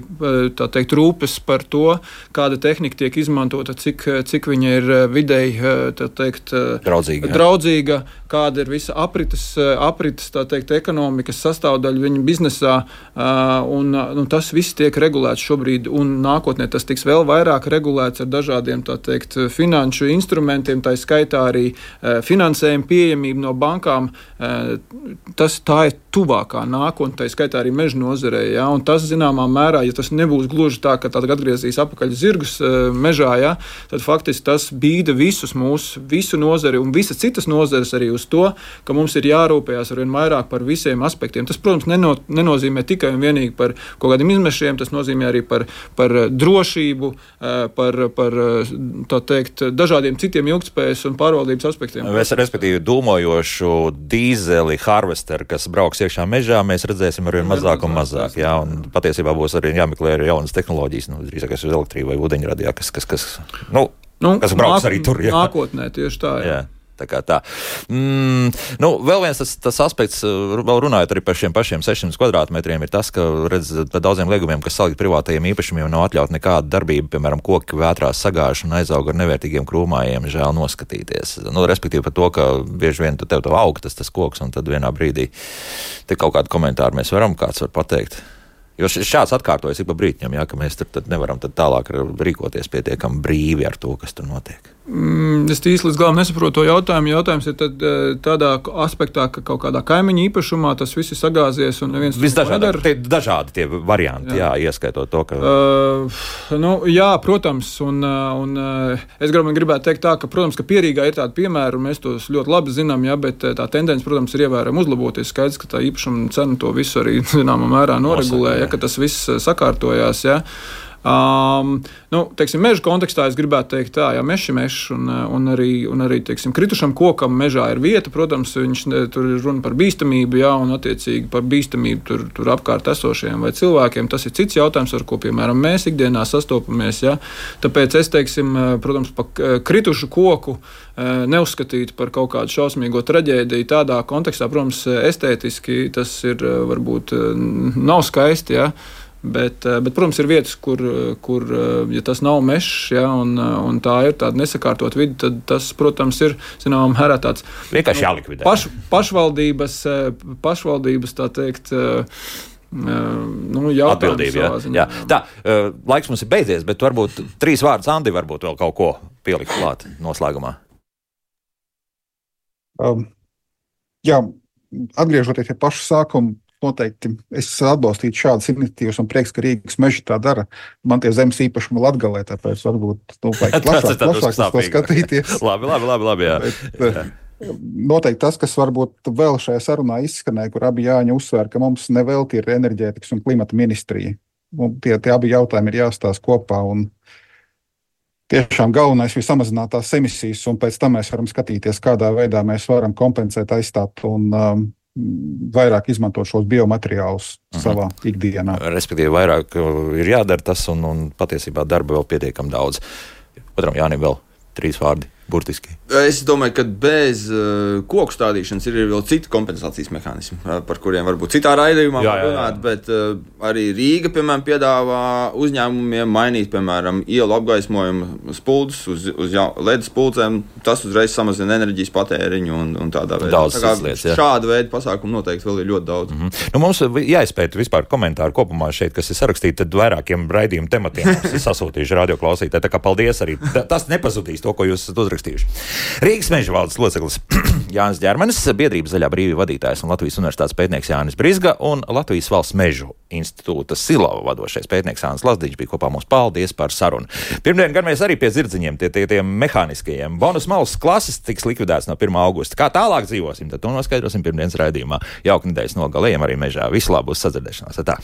tā teikt, rūpes par to, kāda tehnika tiek izmantota, cik, cik viņa ir videi, tā teikt, draudzīga, draudzīga kāda ir visa aprites, aprites tā teikt, ekonomikas sastāvdaļa viņa biznesā, un, un tas viss tiek regulēts šobrīd, un nākotnē tas tiks vēl vairāk regulēts ar dažādiem, tā teikt, finanšu instrumentiem, tā skaitā arī finansējuma pieejamību no bankām. Tas tā ir tuvākā nākotne, tā skaitā arī meža nozarē, ja? Un tas zināmā mērā, ja tas nebūs gluži tā, ka tāda atgriezīs apakaļ zirgus mežā, ja? Tad faktiski tas bīda visus mūsu, visu nozari un visas citas nozares arī uz to, ka mums ir jārūpējās arvien vairāk par visiem aspektiem. Tas, protams, neno, nenozīmē tikai un vienīgi par kaut kādiem izmešiem, tas nozīmē arī par, par drošību, par, par tā teikt, dažādiem citiem ilgtspējas un pārvaldības aspektiem. Mēs, respektīvi, dūmojošu dīzeli harvesteru, kas brauks iekšā mežā, mēs redzēsim arvien mazāk un mazāk. Jā, un patiesībā būs arī jāmeklē arī jaunas tehnoloģijas, nu, drīzākais uz elektrību vai ūdeņradi, jā, kas, kas, kas, nu, nu, kas brauks nāk, arī tur. Jā. Nākotnē tieši tā, jā. jā. Tā kā tā. Mm, nu, vēl viens tas, tas aspekts, vēl runājot arī par šiem pašiem sešsimt kvadrātmetriem, ir tas, ka, redz, par daudziem liegumiem, kas salikt privātajiem īpašumiem, nav atļaut nekāda darbība, piemēram, koki vētrās sagāž un aizaug ar nevērtīgiem krūmājiem, žēl noskatīties. Nu, respektīvi par to, ka bieži vien tev to aug tas, tas koks, un tad vienā brīdī te kaut kādu komentāru mēs varam, kāds var pateikt. Jo šāds atkārtojas ik pa brītņam, jā, ka mēs tur tad nevaram tad tālāk rīkoties pietiekami brīvi ar to, kas tur notiek. Mm, es īsti līdz galam nesaprotu to jautājumu. Jautājums ir tad, tādā aspektā, ka kaut kādā kaimiņa īpašumā tas viss ir sagāzies un neviens to nedara. Tie dažādi tie varianti, jā, jā ieskaitot to, ka... Uh, nu, jā, protams, un, un es gribu, gribētu teikt tā, ka, protams, ka Pierīgā ir tādi piemēri, un mēs tos ļoti labi zinām, jā, bet tā tendence, protams, ir ievērojami uzlaboties. Skaidrs, ka tā īpašuma cena to visu arī, zināmā mērā, noregulē, ja, ka tas viss sakārtojās, jā. Um, nu, teiksim, meža kontekstā es gribētu teikt tā, ja mežs ir mežs un, un arī, un arī teiksim, kritušam kokam mežā ir vieta, protams, viņš tur ir runa par bīstamību, jā, un attiecīgi par bīstamību tur, tur apkārt esošiem vai cilvēkiem. Tas ir cits jautājums, ar ko, piemēram, mēs ikdienā sastopamies, jā. Tāpēc es, teiksim, protams, pa kritušu koku neuzskatīt par kaut kādu šausmīgo traģēdiju tādā kontekstā, protams, estētiski tas ir varbūt nav skaisti, jā. Bet, bet, protams, ir vietas, kur, kur ja tas nav mežs, ja, un, un tā ir tāda nesakārtot vidi, tad tas, protams, ir, zināmā mērā tāds vienkārši jālikvidē. Paš, pašvaldības, pašvaldības, tā teikt, nu, atbildība, jā. jā. Tā, laiks mums ir beidzies, bet varbūt trīs vārdus Andi varbūt vēl kaut ko pielikt klāt noslēgumā. Um, jā, atgriežoties pie paša sākuma, noteikti es atbalstītu šādas iniciatīvas un prieks, ka Rīgas meži tā dara. Man tie zemes īpašumi Latgalē, tāpēc varbūt nu, vajag plašāk, plašāk uz to skatīties. labi, labi, labi, labi, jā. Bet, noteikti tas, kas varbūt vēl šajā sarunā izskanēja, kur abi Jāņi uzsver, ka mums nevelti ir enerģētikas un klimata ministrija. Un tie, tie abi jautājumi ir jāstāsta kopā un tiešām galvenais ir samazināt tās emisijas un pēc tam mēs varam skatīties, kādā veidā mēs varam kompensēt, aizstāt un um, vairāk izmantot šos biomateriālus uh-huh. savā ikdienā. Respektīvi, vairāk ir jādara tas, un, un patiesībā darba vēl pietiekam daudz. Otram Jānim vēl trīs vārdi, burtiski. Es domāju, ka bez uh, koku stādīšanas ir vēl citi kompensācijas mehānismi, uh, par kuriem varbūt citā raidījumā var runāt, bet uh, arī Rīga, piemēram, piedāvā uzņēmumiem mainīt, piemēram, ielu apgaismojumu spuldus uz, uz L E D spuldēm. Tas uzreiz samazina enerģijas patēriņu un, un tādā veidā. Daudz tā lietas, jā. Šāda veida pasākumu noteikti vēl ir ļoti daudz. Mm-hmm. Nu, mums jāizpēta vispār komentāru kopumā šeit, kas ir sarakstīti, tad vairākiem raidījumu tematiem mums ir sasūtījuši radioklausītāji. Tā kā paldies arī. Tas nepazudīs to, ko jūs esat uzrakstījuši uzrakstījuši. Rīgas meža valdes loceklis Jānis Ģermenis, biedrības Zaļā brīvība vadītājs un Latvijas universitātes pētnieks Jānis Brizga un Latvijas valsts mežu institūta Silava vadošais pētnieks Jānis Lazdiņš bija kopā mums. Paldies par sarunu. Pirmdien gan mēs arī pie zirdziņiem, tie, tie, tiem mehāniskajiem. Bonus malas klases tiks likvidēts no pirmā augusta. Kā tālāk dzīvosim, tad to noskaidrosim pirmdienas raidījumā. Jauka nedēļas nogalējiem arī mežā. Visu labu, uz sadzirdēšanās. Tā.